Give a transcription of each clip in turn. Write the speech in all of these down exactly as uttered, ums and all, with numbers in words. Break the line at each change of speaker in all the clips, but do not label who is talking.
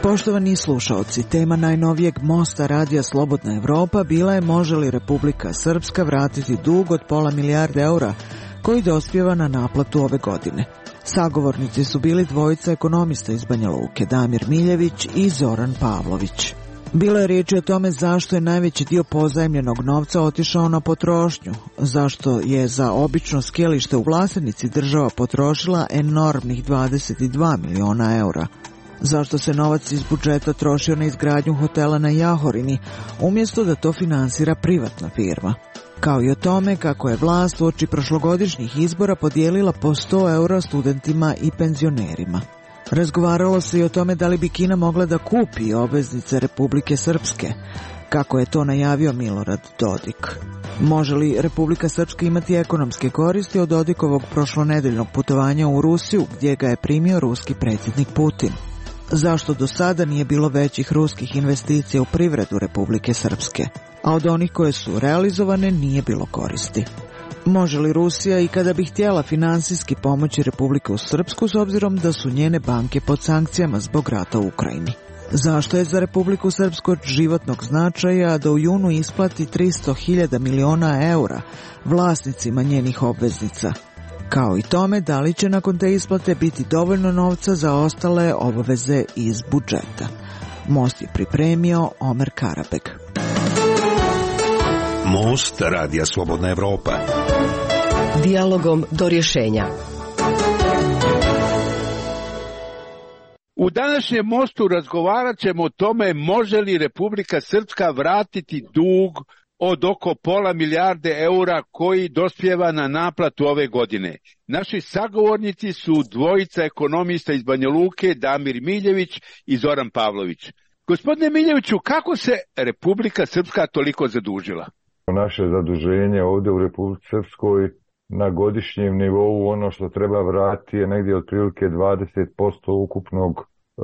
Poštovani slušaoci, tema najnovijeg mosta radija Slobodna Evropa bila je može li Republika Srpska vratiti dug od pola milijarde eura koji dospijeva na naplatu ove godine. Sagovornici su bili dvojica ekonomista iz Banja Luke, Damir Miljević i Zoran Pavlović. Bilo je riječi o tome zašto je najveći dio pozajmljenog novca otišao na potrošnju, zašto je za obično skijalište u Vlasenici država potrošila enormnih dvadeset dva miliona eura, zašto se novac iz budžeta trošio na izgradnju hotela na Jahorini, umjesto da to finansira privatna firma, kao i o tome kako je vlast uoči prošlogodišnjih izbora podijelila po sto eura studentima i penzionerima. Razgovaralo se i o tome da li bi Kina mogla da kupi obveznice Republike Srpske, kako je to najavio Milorad Dodik. Može li Republika Srpska imati ekonomske koristi od Dodikovog prošlonedeljnog putovanja u Rusiju, gdje ga je primio ruski predsjednik Putin? Zašto do sada nije bilo većih ruskih investicija u privredu Republike Srpske, a od onih koje su realizovane nije bilo koristi? Može li Rusija i kada bi htjela finansijski pomoći Republiku Srpsku s obzirom da su njene banke pod sankcijama zbog rata u Ukrajini? Zašto je za Republiku Srpsku od životnog značaja da u junu isplati tristo hiljada miliona eura vlasnicima njenih obveznica? Kao i tome da li će nakon te isplate biti dovoljno novca za ostale obaveze iz budžeta. Most je pripremio Omer Karabeg.
Most radija Slobodna Evropa.
Dijalogom do rješenja.
U današnjem mostu razgovarat ćemo o tome može li Republika Srpska vratiti dug od oko pola milijarde eura koji dospijeva na naplatu ove godine. Naši sagovornici su dvojica ekonomista iz Banja Luke, Damir Miljević i Zoran Pavlović. Gospodine Miljeviću, kako se Republika Srpska toliko zadužila?
Naše zaduženje ovdje u Republici Srpskoj na godišnjem nivou, ono što treba vratiti je negdje otprilike dvadeset posto ukupnog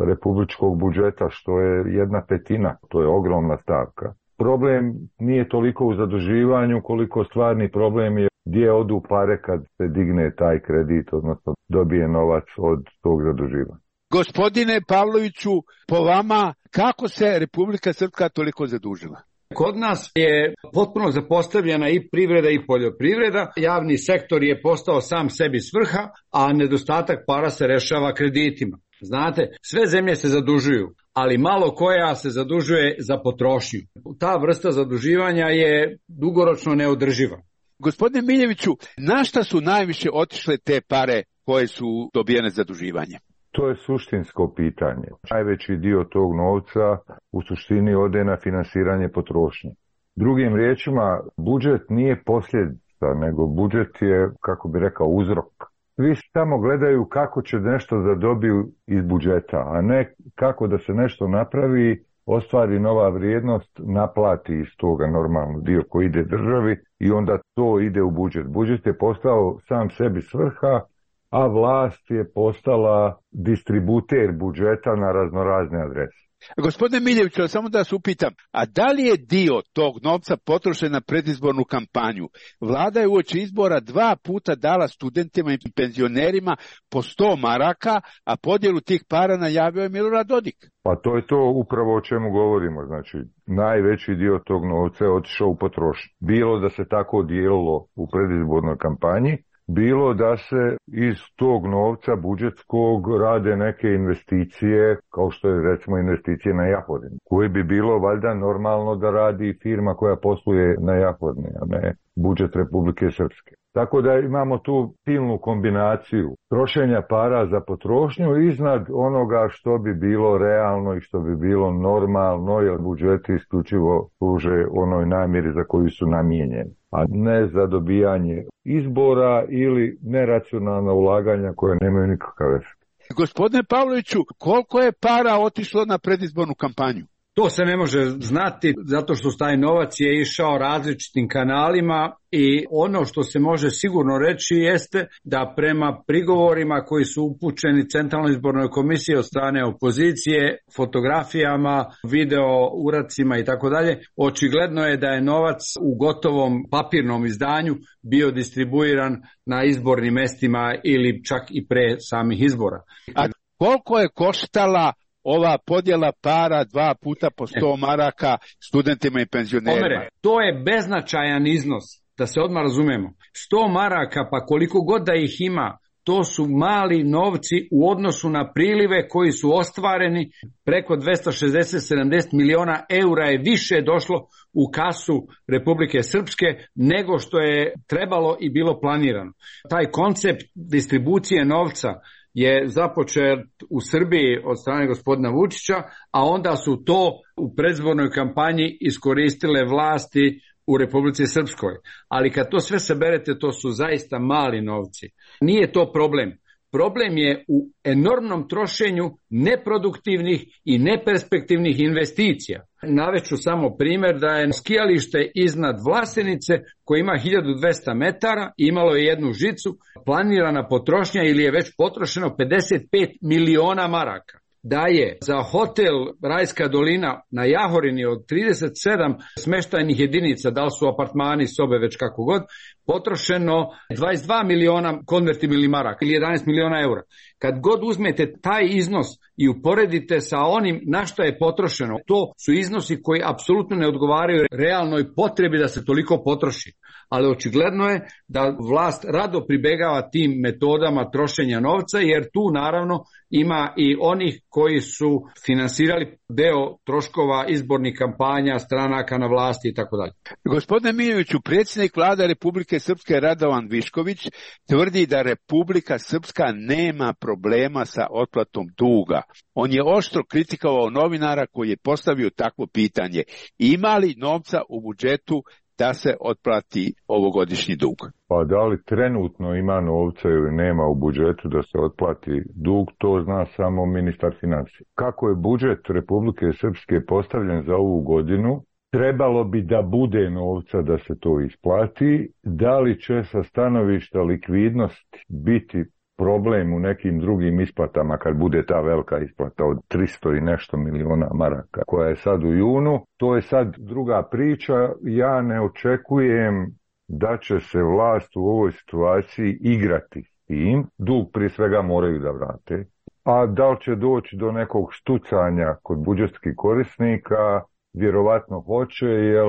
republičkog budžeta, što je jedna petina, to je ogromna stavka. Problem nije toliko u zaduživanju koliko stvarni problem je gdje odu pare kad se digne taj kredit, odnosno dobije novac od tog zaduživanja.
Gospodine Pavloviću, po vama, kako se Republika Srpska toliko zadužila?
Kod nas je potpuno zapostavljena i privreda i poljoprivreda. Javni sektor je postao sam sebi svrha, a nedostatak para se rešava kreditima. Znate, sve zemlje se zadužuju, ali malo koja se zadužuje za potrošnju. Ta vrsta zaduživanja je dugoročno neodrživa.
Gospodine Miljeviću, na šta su najviše otišle te pare koje su dobijene zaduživanje?
To je suštinsko pitanje. Najveći dio tog novca u suštini ode na finansiranje potrošnje. Drugim riječima, budžet nije posljedica, nego budžet je, kako bi rekao, uzrok. Svi samo gledaju kako će nešto da dobiju iz budžeta, a ne kako da se nešto napravi, ostvari nova vrijednost, naplati iz toga normalno dio koji ide državi i onda to ide u budžet. Budžet je postao sam sebi svrha, a vlast je postala distributer budžeta na raznorazne adrese.
Gospodine Miljeviću, samo da se upitam, a da li je dio tog novca potrošen na predizbornu kampanju? Vlada je uoči izbora dva puta dala studentima i penzionerima po sto maraka, a podjelu tih para najavio je Milorad Dodik.
Pa to je to upravo o čemu govorimo. Znači, najveći dio tog novca je otišao u potrošnju. Bilo da se tako dijelilo u predizbornoj kampanji, bilo da se iz tog novca budžetskog rade neke investicije, kao što je recimo investicije na Jahorini, koje bi bilo valjda normalno da radi firma koja posluje na Jahorini, a ne budžet Republike Srpske. Tako da imamo tu silnu kombinaciju trošenja para za potrošnju iznad onoga što bi bilo realno i što bi bilo normalno, jer budžeti isključivo služe onoj namjeri za koju su namijenjeni, a ne za dobijanje izbora ili neracionalna ulaganja koje nemaju nikakav efekt.
Gospodine Pavloviću, koliko je para otišlo na predizbornu kampanju?
To se ne može znati zato što taj novac je išao različitim kanalima i ono što se može sigurno reći jeste da prema prigovorima koji su upućeni Centralnoj izbornoj komisiji od strane opozicije, fotografijama, video uradcima i tako dalje, očigledno je da je novac u gotovom papirnom izdanju bio distribuiran na izbornim mestima ili čak i pre samih izbora.
A koliko je koštala ova podjela para dva puta po sto maraka studentima i penzionerima?
Omere, to je beznačajan iznos, da se odmah razumemo. sto maraka, pa koliko god da ih ima, to su mali novci u odnosu na prilive koji su ostvareni. Preko dvesta šezdeset sedamdeset miliona eura je više došlo u kasu Republike Srpske nego što je trebalo i bilo planirano. Taj koncept distribucije novca je započet u Srbiji od strane gospodina Vučića, a onda su to u predizbornoj kampanji iskoristile vlasti u Republici Srpskoj. Ali kad to sve saberete, to su zaista mali novci. Nije to problem. Problem je u enormnom trošenju neproduktivnih i neperspektivnih investicija. Naveću samo primjer da je skijalište iznad Vlasenice koje ima hiljadu dvesta metara, imalo je jednu žicu, planirana potrošnja ili je već potrošeno pedeset pet miliona maraka. Da je za hotel Rajska dolina na Jahorini od trideset sedam smeštajnih jedinica, da li su apartmani, sobe, već kako god, potrošeno dvadeset dva miliona konvertibilnih maraka ili jedanaest miliona eura. Kad god uzmete taj iznos i uporedite sa onim na što je potrošeno, to su iznosi koji apsolutno ne odgovaraju realnoj potrebi da se toliko potroši. Ali očigledno je da vlast rado pribegava tim metodama trošenja novca, jer tu naravno ima i onih koji su finansirali deo troškova izbornih kampanja, stranaka na vlasti i tako dalje.
Gospodine Miljeviću, predsjednik vlade Republike Srpske Radovan Višković tvrdi da Republika Srpska nema problema sa otplatom duga. On je oštro kritikovao novinara koji je postavio takvo pitanje. Ima li novca u budžetu da se otplati ovogodišnji dug?
Pa da li trenutno ima novca ili nema u budžetu da se otplati dug, to zna samo ministar financija. Kako je budžet Republike Srpske postavljen za ovu godinu, trebalo bi da bude novca da se to isplati. Da li će sa stanovišta likvidnosti biti problem u nekim drugim isplatama kad bude ta velika isplata od tristo i nešto miliona maraka koja je sad u junu, to je sad druga priča. Ja ne očekujem da će se vlast u ovoj situaciji igrati s tim. Dug prije svega moraju da vrate. A da li će doći do nekog štucanja kod budžetskih korisnika? Vjerovatno hoće, jer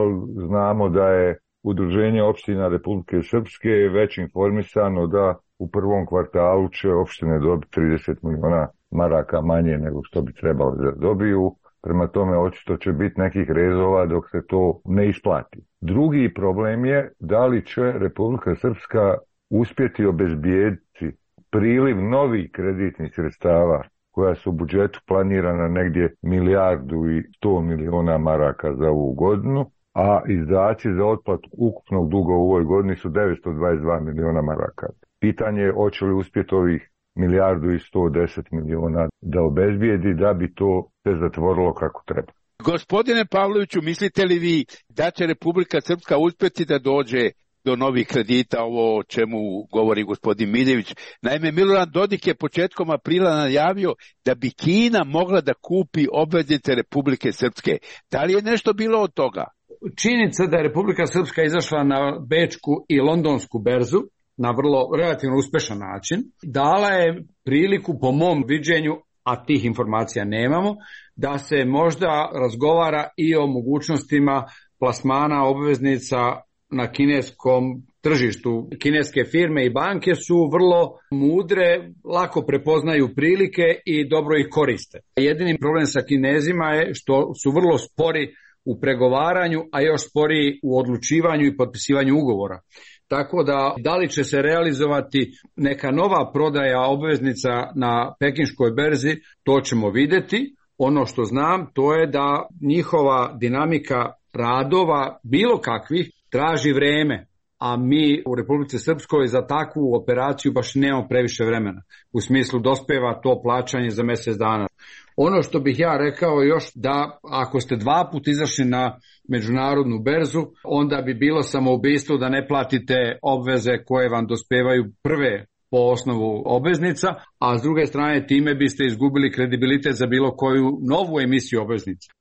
znamo da je Udruženje opština Republike Srpske već informisano da u prvom kvartalu će opštine dobiti trideset miliona maraka manje nego što bi trebalo da dobiju. Prema tome očito će biti nekih rezova dok se to ne isplati. Drugi problem je da li će Republika Srpska uspjeti obezbijediti priliv novih kreditnih sredstava koja su u budžetu planirana negdje milijardu i sto miliona maraka za ovu godinu, a izdaci za otplatu ukupnog duga u ovoj godini su devetsto dvadeset dva miliona maraka. Pitanje je hoće li uspjeti ovih milijardu i sto deset miliona da obezbijedi da bi to se zatvorilo kako treba.
Gospodine Pavloviću, mislite li vi da će Republika Srpska uspjeti da dođe do novih kredita, ovo o čemu govori gospodin Miljević? Naime, Milorad Dodik je početkom aprila najavio da bi Kina mogla da kupi obveznice Republike Srpske. Da li je nešto bilo od toga?
Činjenica da je Republika Srpska izašla na bečku i londonsku berzu na vrlo relativno uspešan način, dala je priliku po mom viđenju, a tih informacija nemamo, da se možda razgovara i o mogućnostima plasmana obveznica na kineskom tržištu. Kineske firme i banke su vrlo mudre, lako prepoznaju prilike i dobro ih koriste. Jedini problem sa Kinezima je što su vrlo spori u pregovaranju, a još sporiji u odlučivanju i potpisivanju ugovora. Tako da, da li će se realizovati neka nova prodaja obveznica na pekinškoj berzi, to ćemo vidjeti. Ono što znam, to je da njihova dinamika radova, bilo kakvih, traži vreme, a mi u Republici Srpskoj za takvu operaciju baš nemamo previše vremena. U smislu dospeva to plaćanje za mjesec dana. Ono što bih ja rekao još da ako ste dva put izašli na međunarodnu berzu, onda bi bilo samoubistvo da ne platite obveze koje vam dospevaju prve po osnovu obveznica, a s druge strane time biste izgubili kredibilitet za bilo koju novu emisiju obveznica.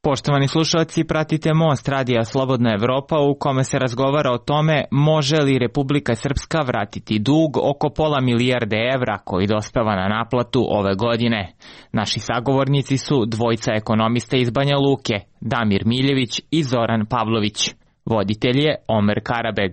Poštovani slušalci, pratite Most Radija Slobodna Evropa u kome se razgovara o tome može li Republika Srpska vratiti dug oko pola milijarde evra koji dospeva na naplatu ove godine. Naši sagovornici su dvojica ekonomista iz Banja Luke, Damir Miljević i Zoran Pavlović. Voditelj je Omer Karabeg.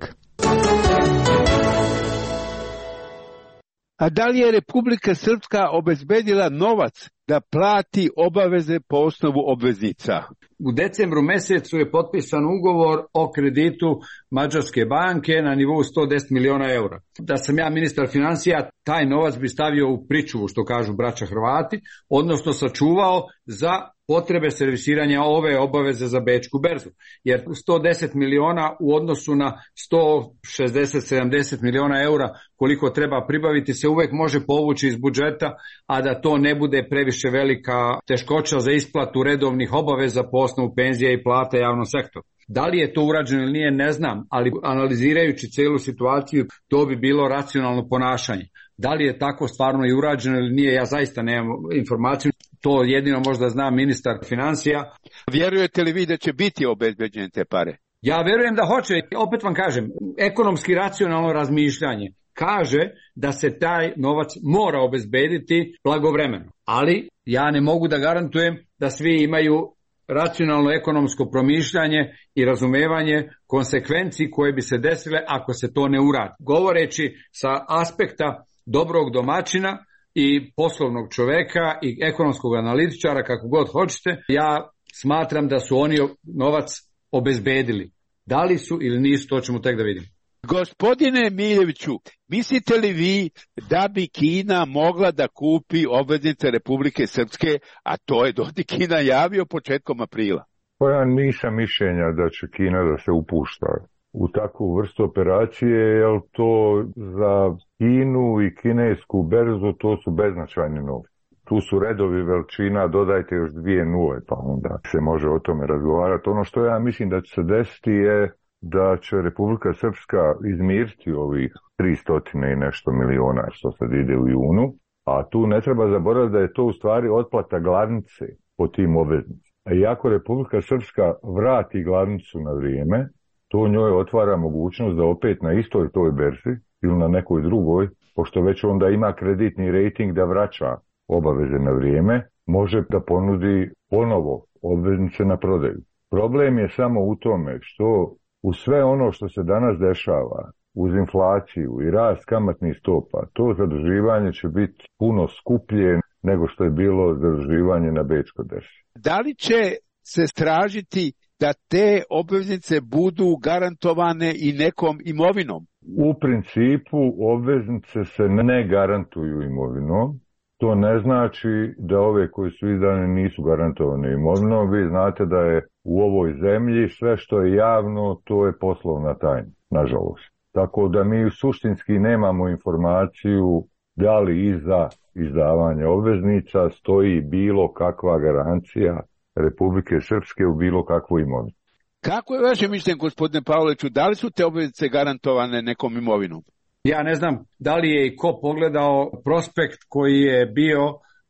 A da li je Republika Srpska obezbedila novac da plati obaveze po osnovu obveznica?
U decembru mesecu je potpisan ugovor o kreditu Mađarske banke na nivou sto deset miliona eura. Da sam ja ministar financija, taj novac bi stavio u pričuvu, što kažu braća Hrvati, odnosno sačuvao za potrebe servisiranja ove obaveze za bečku berzu. Jer sto deset miliona u odnosu na sto šezdeset sedamdeset miliona eura koliko treba pribaviti se uvek može povući iz budžeta, a da to ne bude previše velika teškoća za isplatu redovnih obaveza po osnovu penzija i plata javnom sektoru. Da li je to urađeno ili nije, ne znam, ali analizirajući celu situaciju, to bi bilo racionalno ponašanje. Da li je tako stvarno i urađeno ili nije, ja zaista nemam informaciju. To jedino možda zna ministar financija.
Vjerujete li vi da će biti obezbeđene te pare?
Ja verujem da hoće. Opet vam kažem, ekonomski racionalno razmišljanje kaže da se taj novac mora obezbediti blagovremeno. Ali ja ne mogu da garantujem da svi imaju racionalno ekonomsko promišljanje i razumevanje konsekvenci koje bi se desile ako se to ne uradi. Govoreći sa aspekta dobrog domaćina i poslovnog čoveka i ekonomskog analitičara, kako god hoćete, ja smatram da su oni novac obezbedili. Da li su ili nisu, to ćemo tek da vidimo.
Gospodine Miljeviću, mislite li vi da bi Kina mogla da kupi obveznice Republike Srpske, a to je Dodik Kina javio početkom aprila?
Pa ja nisam mišljenja da će Kina da se upušta u takvu vrstu operacije, jer to za Kinu i kinesku berzu to su beznačajni novci. Tu su redovi veličina, dodajte još dvije nule, pa onda se može o tome razgovarati. Ono što ja mislim da će se desiti je da će Republika Srpska izmiriti ovih tristo i nešto miliona što sad ide u junu, a tu ne treba zaboraviti da je to u stvari otplata glavnice po tim obveznicama. A iako Republika Srpska vrati glavnicu na vrijeme, to njoj otvara mogućnost da opet na istoj toj berzi ili na nekoj drugoj, pošto već onda ima kreditni rating da vraća obaveze na vrijeme, može da ponudi ponovo obveznice na prodaju. Problem je samo u tome što u sve ono što se danas dešava, uz inflaciju i rast kamatnih stopa, to zaduživanje će biti puno skuplje nego što je bilo zaduživanje na bečkoj berzi.
Da li će se tražiti da te obveznice budu garantovane i nekom imovinom?
U principu obveznice se ne garantuju imovinom. To ne znači da ove koje su izdane nisu garantovane imovinom. Vi znate da je u ovoj zemlji sve što je javno, to je poslovna tajna, nažalost. Tako da mi suštinski nemamo informaciju da li iza izdavanja obveznica stoji bilo kakva garancija Republike Srpske u bilo kakvu imovinu.
Kako je vaše mišljenje, gospodine Pavloviću, da li su te obveznice garantovane nekom imovinom?
Ja ne znam da li je i ko pogledao prospekt koji je bio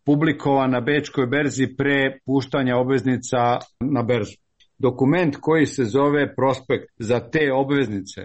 publikovan na bečkoj berzi pre puštanja obveznica na berzu. Dokument koji se zove prospekt za te obveznice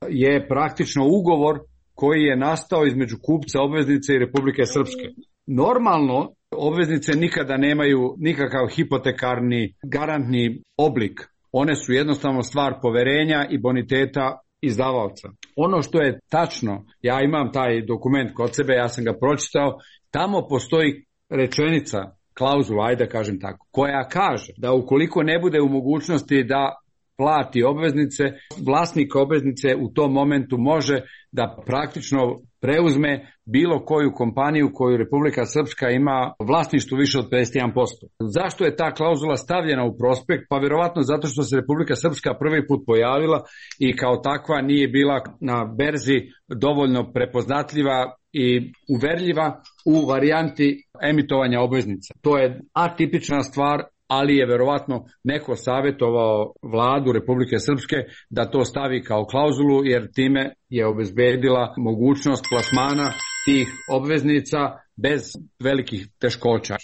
je praktično ugovor koji je nastao između kupca obveznice i Republike Srpske. Normalno, obveznice nikada nemaju nikakav hipotekarni garantni oblik. One su jednostavno stvar poverenja i boniteta izdavaoca. Ono što je tačno, ja imam taj dokument kod sebe, ja sam ga pročitao, tamo postoji rečenica, klauzula, ajde da kažem tako, koja kaže da ukoliko ne bude u mogućnosti da plati obveznice, vlasnik obveznice u tom momentu može da praktično preuzme bilo koju kompaniju koju Republika Srpska ima vlasništvo više od pedeset jedan posto. Zašto je ta klauzula stavljena u prospekt? Pa vjerovatno zato što se Republika Srpska prvi put pojavila i kao takva nije bila na berzi dovoljno prepoznatljiva i uverljiva u varijanti emitovanja obveznica. To je atipična stvar, ali je verovatno neko savjetovao vladu Republike Srpske da to stavi kao klauzulu, jer time je obezbedila mogućnost plasmana tih obveznica bez velikih teškoća.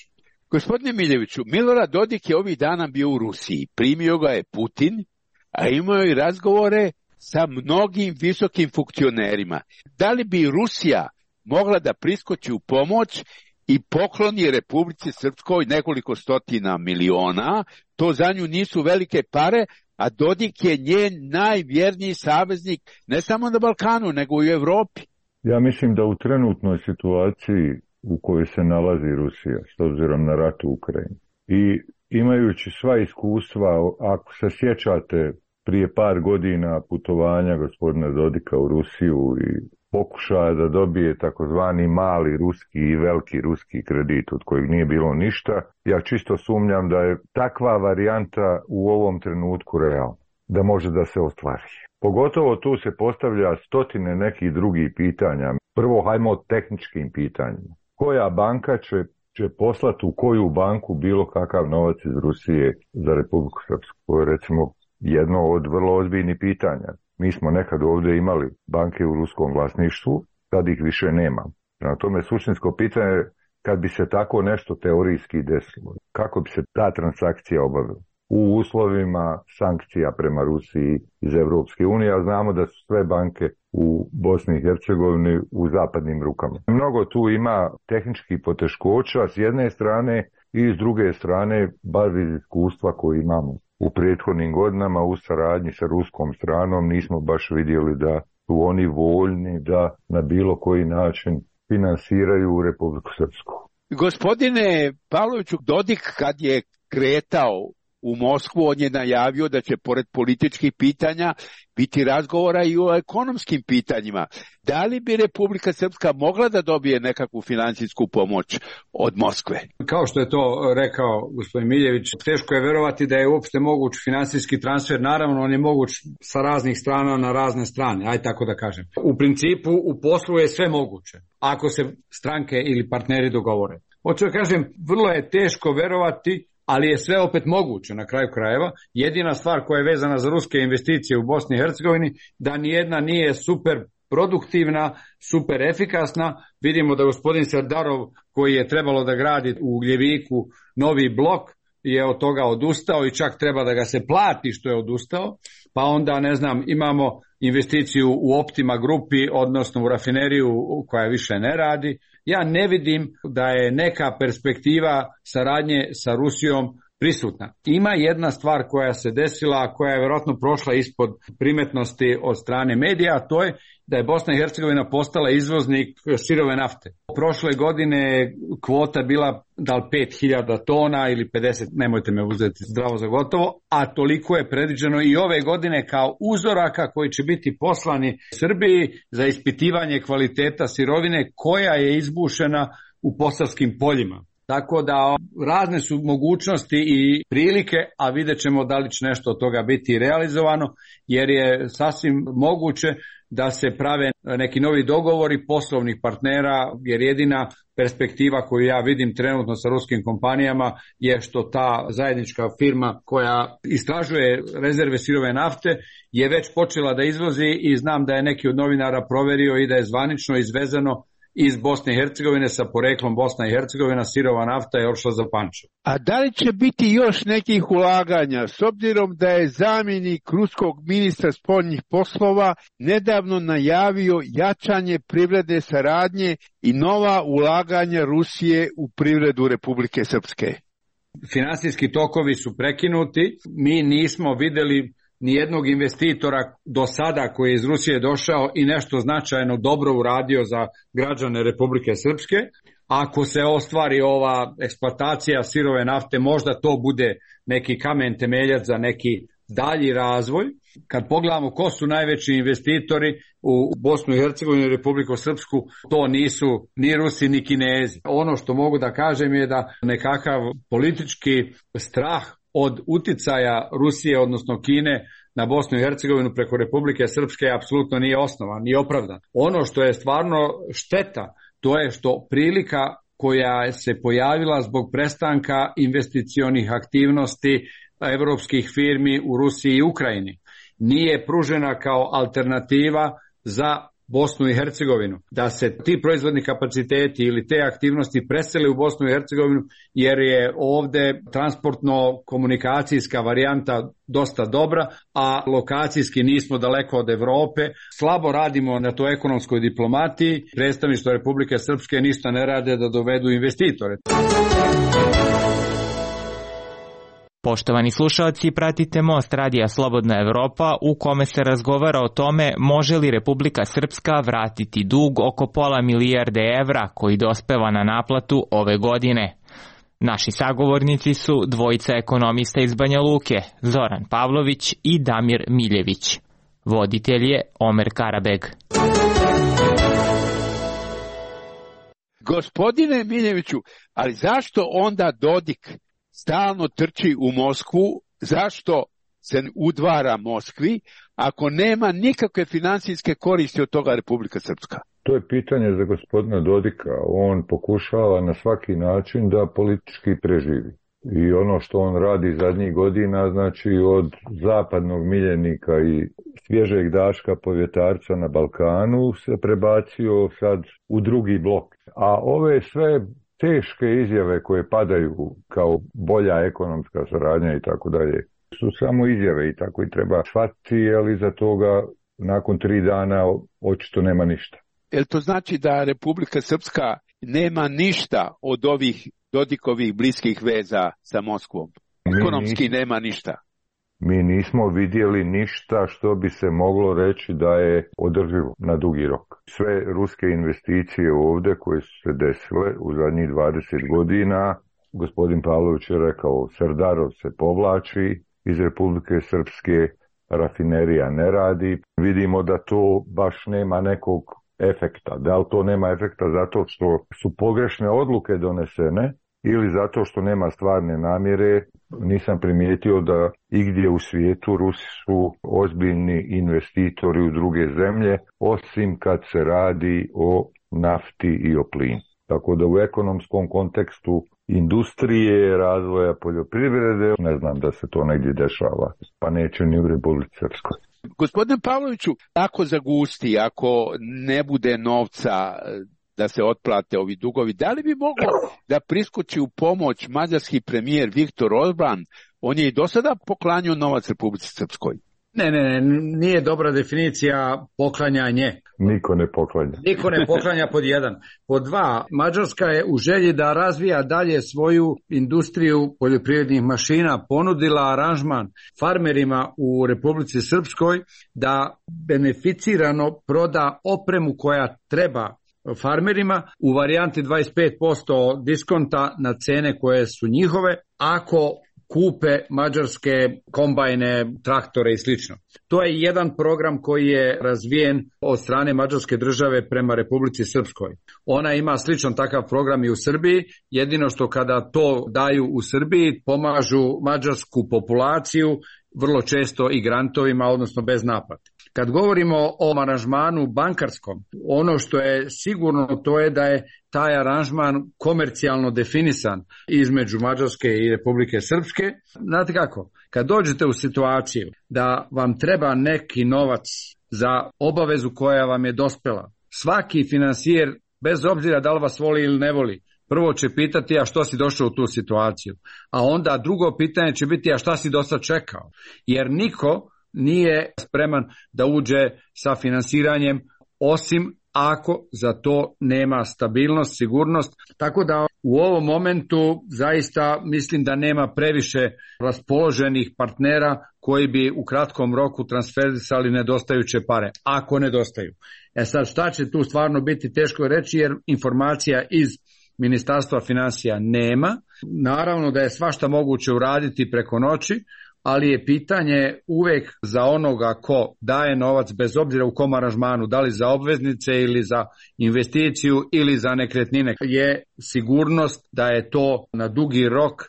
Gospodine Miljeviću, Milorad Dodik je ovih dana bio u Rusiji. Primio ga je Putin, a imao i razgovore sa mnogim visokim funkcionerima. Da li bi Rusija mogla da priskoči u pomoć i pokloni Republici Srpskoj nekoliko stotina miliona? To za nju nisu velike pare, a Dodik je njen najvjerniji saveznik ne samo na Balkanu, nego i u Evropi.
Ja mislim da u trenutnoj situaciji u kojoj se nalazi Rusija, s obzirom na rat u Ukrajini, i imajući sva iskustva, ako se sjećate prije par godina putovanja gospodina Dodika u Rusiju i pokušaja da dobije takozvani mali ruski i veliki ruski kredit od kojeg nije bilo ništa, ja čisto sumnjam da je takva varijanta u ovom trenutku realna, da može da se ostvari. Pogotovo tu se postavlja stotine nekih drugih pitanja. Prvo, hajmo o tehničkim pitanjima. Koja banka će, će poslati u koju banku bilo kakav novac iz Rusije za Republiku Srpsku? To je recimo jedno od vrlo ozbiljnih pitanja. Mi smo nekad ovdje imali banke u ruskom vlasništvu, sad ih više nema. Prema tome, suštinsko pitanje je kad bi se tako nešto teorijski desilo, kako bi se ta transakcija obavila u uslovima sankcija prema Rusiji iz Evropske unije, a znamo da su sve banke u Bosni i Hercegovini u zapadnim rukama. Mnogo tu ima tehničkih poteškoća s jedne strane i s druge strane, bar iz iskustva koje imamo u prethodnim godinama u saradnji sa ruskom stranom, nismo baš vidjeli da su oni voljni da na bilo koji način finansiraju Republiku Srpsku.
Gospodine Pavloviću, Dodik kad je kretao u Moskvu, on je najavio da će pored političkih pitanja biti razgovora i o ekonomskim pitanjima. Da li bi Republika Srpska mogla da dobije nekakvu financijsku pomoć od Moskve?
Kao što je to rekao gospodin Miljević, teško je verovati da je uopšte moguć finansijski transfer. Naravno, on je moguć sa raznih strana na razne strane, aj tako da kažem. U principu, u poslu je sve moguće, ako se stranke ili partneri dogovore. Hoću da kažem, vrlo je teško verovati, ali je sve opet moguće na kraju krajeva. Jedina stvar koja je vezana za ruske investicije u Bosni i Hercegovini, da nijedna nije super produktivna, super efikasna. Vidimo da gospodin Serdarov, koji je trebalo da gradi u Ugljeviku novi blok, je od toga odustao i čak treba da ga se plati što je odustao. Pa onda, ne znam, imamo investiciju u Optima grupi, odnosno u rafineriju koja više ne radi. Ja ne vidim da je neka perspektiva saradnje sa Rusijom prisutna. Ima jedna stvar koja se desila, koja je vjerojatno prošla ispod primetnosti od strane medija, a to je da je Bosna i Hercegovina postala izvoznik sirove nafte. Prošle godine kvota bila da li pet hiljada tona ili pedeset, nemojte me uzeti zdravo za gotovo, a toliko je predviđeno i ove godine kao uzoraka koji će biti poslani Srbiji za ispitivanje kvaliteta sirovine koja je izbušena u posavskim poljima. Tako da razne su mogućnosti i prilike, a vidjet ćemo da li će nešto od toga biti realizovano, jer je sasvim moguće da se prave neki novi dogovori poslovnih partnera, jer jedina perspektiva koju ja vidim trenutno sa ruskim kompanijama je što ta zajednička firma koja istražuje rezerve sirove nafte je već počela da izvozi i znam da je neki od novinara proverio i da je zvanično izvezeno iz Bosne i Hercegovine sa poreklom Bosna i Hercegovina sirova nafta je otišla za Pančevo.
A da li će biti još nekih ulaganja, s obzirom da je zamjenik ruskog ministra spoljnih poslova nedavno najavio jačanje privredne saradnje i nova ulaganja Rusije u privredu Republike Srpske?
Finansijski tokovi su prekinuti, mi nismo vidjeli nijednog investitora do sada koji je iz Rusije došao i nešto značajno dobro uradio za građane Republike Srpske. Ako se ostvari ova eksploatacija sirove nafte, možda to bude neki kamen temeljac za neki dalji razvoj. Kad pogledamo ko su najveći investitori u Bosnu i Hercegovinu i Republiku Srpsku, to nisu ni Rusi ni Kinezi. Ono što mogu da kažem je da nekakav politički strah od uticaja Rusije, odnosno Kine, na Bosnu i Hercegovinu preko Republike Srpske apsolutno nije osnovan, nije opravdan. Ono što je stvarno šteta, to je što prilika koja se pojavila zbog prestanka investicionih aktivnosti evropskih firmi u Rusiji i Ukrajini nije pružena kao alternativa za Bosnu i Hercegovinu, da se ti proizvodni kapaciteti ili te aktivnosti presele u Bosnu i Hercegovinu, jer je ovde transportno-komunikacijska varijanta dosta dobra, a lokacijski nismo daleko od Evrope. Slabo radimo na toj ekonomskoj diplomatiji. Predstavništvo Republike Srpske ništa ne rade da dovedu investitore.
Poštovani slušalci, pratite Most radija Slobodna Evropa u kome se razgovara o tome može li Republika Srpska vratiti dug oko pola milijarde evra koji dospeva na naplatu ove godine. Naši sagovornici su dvojica ekonomista iz Banja Luke, Zoran Pavlović i Damir Miljević. Voditelj je Omer Karabeg.
Gospodine Miljeviću, ali zašto onda Dodik stalno trči u Moskvu, zašto se udvara Moskvi, ako nema nikakve financijske koristi od toga Republika Srpska?
To je pitanje za gospodina Dodika. On pokušava na svaki način da politički preživi. I ono što on radi zadnjih godina, znači od zapadnog miljenika i svježeg daška povjetarca na Balkanu se prebacio sad u drugi blok. A ove sve teške izjave koje padaju kao bolja ekonomska saradnja i tako dalje su samo izjave i tako i treba shvatiti, ali za toga nakon tri dana očito nema ništa.
Jel to znači da Republika Srpska nema ništa od ovih Dodikovih bliskih veza sa Moskvom? Ekonomski nismo, nema ništa.
Mi nismo vidjeli ništa što bi se moglo reći da je održivo na dugi rok. Sve ruske investicije ovdje koje su se desile u zadnjih dvadeset godina, gospodin Pavlović je rekao, Srdarov se povlači iz Republike Srpske, rafinerija ne radi. Vidimo da to baš nema nekog efekta. Da li to nema efekta zato što su pogrešne odluke donesene ili zato što nema stvarne namjere? Nisam primijetio da igdje u svijetu Rusi su ozbiljni investitori u druge zemlje, osim kad se radi o nafti i o plinu. Tako da u ekonomskom kontekstu industrije, razvoja poljoprivrede, ne znam da se to negdje dešava, pa neće ni u Republici Srpskoj.
Gospodine Pavloviću, ako zagusti, ako ne bude novca da se otplate ovi dugovi, da li bi moglo da priskoči u pomoć mađarski premijer Viktor Orban? On je i do sada poklanjao novac Republici Srpskoj.
Ne, ne, ne, nije dobra definicija poklanjanje.
Niko ne poklanja.
Niko ne poklanja pod jedan. Pod dva, Mađarska je u želji da razvija dalje svoju industriju poljoprivrednih mašina ponudila aranžman farmerima u Republici Srpskoj da beneficirano proda opremu koja treba farmerima u varijanti dvadeset pet posto diskonta na cene koje su njihove, ako kupe mađarske kombajne, traktore i slično. To je jedan program koji je razvijen od strane mađarske države prema Republici Srpskoj. Ona ima sličan takav program i u Srbiji, jedino što kada to daju u Srbiji pomažu mađarsku populaciju vrlo često i grantovima, odnosno bez naplate. Kad govorimo o aranžmanu bankarskom, ono što je sigurno to je da je taj aranžman komercijalno definisan između Mađarske i Republike Srpske. Znate kako? Kad dođete u situaciju da vam treba neki novac za obavezu koja vam je dospela, svaki finansijer, bez obzira da li vas voli ili ne voli, prvo će pitati a što si došao u tu situaciju, a onda drugo pitanje će biti a šta si do sad čekao, jer niko nije spreman da uđe sa finansiranjem osim ako za to nema stabilnost, sigurnost. Tako da u ovom momentu zaista mislim da nema previše raspoloženih partnera koji bi u kratkom roku transferisali nedostajuće pare, ako nedostaju. E sad šta će tu stvarno biti teško reći jer informacija iz Ministarstva financija nema. Naravno da je svašta moguće uraditi preko noći, ali je pitanje uvek za onoga ko daje novac, bez obzira u kom aranžmanu, da li za obveznice ili za investiciju ili za nekretnine, je sigurnost da je to na dugi rok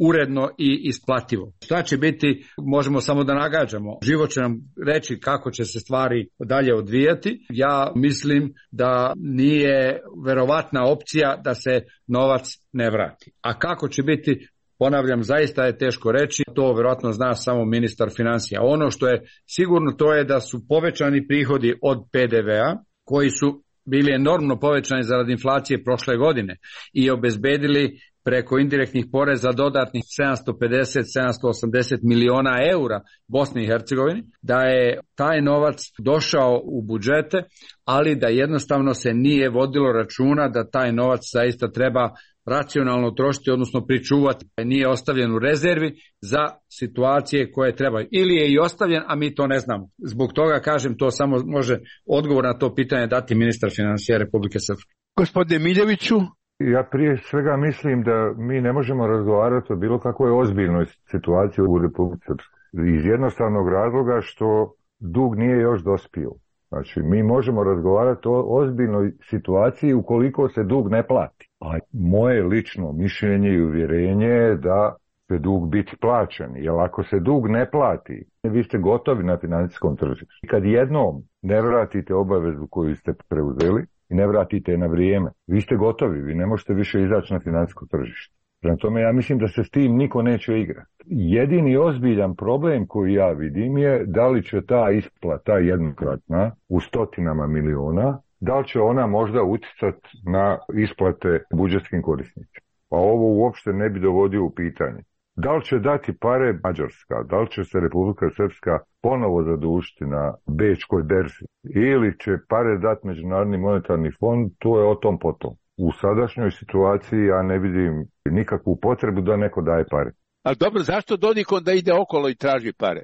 uredno i isplativo. Šta će biti, možemo samo da nagađamo. Život će nam reći kako će se stvari dalje odvijati. Ja mislim da nije verovatna opcija da se novac ne vrati. A kako će biti, ponavljam, zaista je teško reći, to verovatno zna samo ministar financija. Ono što je sigurno to je da su povećani prihodi od P D V-a, koji su bili enormno povećani zarad inflacije prošle godine i obezbedili preko indirektnih poreza dodatnih sedamsto pedeset do sedamsto osamdeset miliona eura Bosni i Hercegovini, da je taj novac došao u budžete, ali da jednostavno se nije vodilo računa da taj novac zaista treba racionalno trošiti, odnosno pričuvati. Nije ostavljen u rezervi za situacije koje trebaju. Ili je i ostavljen, a mi to ne znamo. Zbog toga, kažem, to samo može odgovor na to pitanje dati ministar financija Republike Srpske.
Gospodine Miljeviću?
Ja prije svega mislim da mi ne možemo razgovarati o bilo kakvoj ozbiljnoj situaciji u Republici Srpskoj. Iz jednostavnog razloga što dug nije još dospio. Znači, mi možemo razgovarati o ozbiljnoj situaciji ukoliko se dug ne plati. A moje lično mišljenje i uvjerenje je da će dug biti plaćen. Jer ako se dug ne plati, vi ste gotovi na financijskom tržištu. Kad jednom ne vratite obavezu koju ste preuzeli i ne vratite na vrijeme, vi ste gotovi, vi ne možete više izaći na financijsko tržište. Prema tome, ja mislim da se s tim niko neće igrati. Jedini ozbiljan problem koji ja vidim je da li će ta isplata jednokratna u stotinama miliona, da li će ona možda utjecati na isplate budžetskim korisnicima. Pa ovo uopšte ne bi dovodio u pitanje. Da li će dati pare Mađarska, da li će se Republika Srpska ponovo zadužiti na Bečkoj berzi ili će pare dati Međunarodni monetarni fond, to je o tom potom. U sadašnjoj situaciji ja ne vidim nikakvu potrebu da neko daje pare.
Ali dobro, zašto Dodik onda ide okolo i traži pare?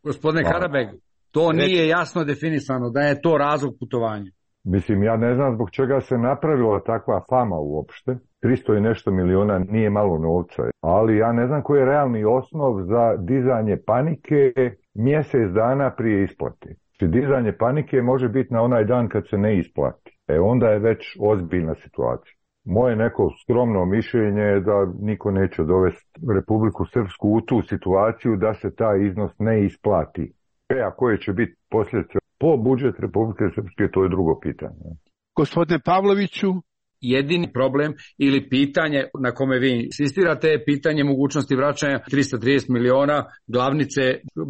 Gospodine Karabeg, to nije jasno definisano da je to razlog putovanja.
Mislim, ja ne znam zbog čega se napravila takva fama uopšte. tristo i nešto miliona nije malo novca, ali ja ne znam koji je realni osnov za dizanje panike mjesec dana prije isplate. Znači, dizanje panike može biti na onaj dan kad se ne isplati. E onda je već ozbiljna situacija. Moje neko skromno mišljenje je da niko neće dovesti Republiku Srpsku u tu situaciju da se taj iznos ne isplati. E, a koje će biti posljedice po budžet Republike Srpske, to je drugo pitanje.
Gospodine Pavloviću?
Jedini problem ili pitanje na kome vi insistirate je pitanje mogućnosti vraćanja tristo trideset miliona glavnice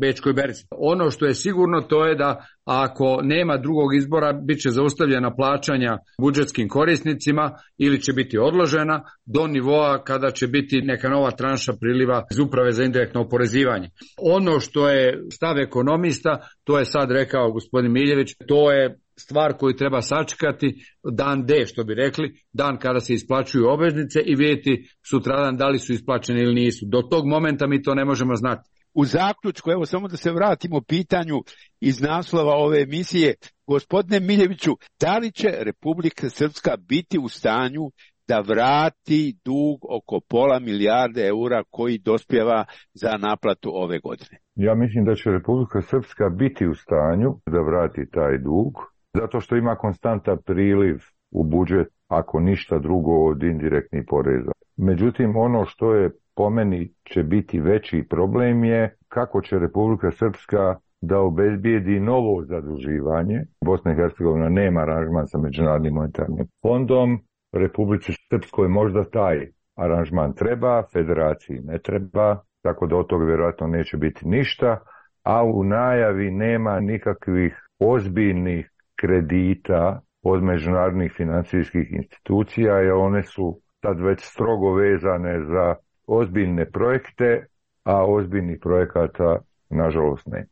Bečkoj berzi. Ono što je sigurno to je da ako nema drugog izbora, bit će zaustavljena plaćanja budžetskim korisnicima ili će biti odložena do nivoa kada će biti neka nova tranša priliva iz Uprave za indirektno oporezivanje. Ono što je stav ekonomista, to je sad rekao gospodin Miljević, to je stvar koju treba sačekati dan D, što bi rekli, dan kada se isplaćuju obveznice i vidjeti sutradan da li su isplaćene ili nisu. Do tog momenta mi to ne možemo znati.
U zaključku, evo samo da se vratimo pitanju iz naslova ove emisije, gospodine Miljeviću, da li će Republika Srpska biti u stanju da vrati dug oko pola milijarde eura koji dospijeva za naplatu ove godine?
Ja mislim da će Republika Srpska biti u stanju da vrati taj dug, zato što ima konstantan priliv u budžet, ako ništa drugo od indirektnih poreza. Međutim, ono što je po meni će biti veći problem je kako će Republika Srpska da obezbijedi novo zaduživanje. Bosna i Hercegovina nema aranžman sa Međunarodnim monetarnim fondom. Republici Srpskoj možda taj aranžman treba, federaciji ne treba, tako da od toga vjerojatno neće biti ništa, a u najavi nema nikakvih ozbiljnih kredita od međunarodnih financijskih institucija, jer one su sad već strogo vezane za ozbiljne projekte, a ozbiljnih projekata nažalost ne.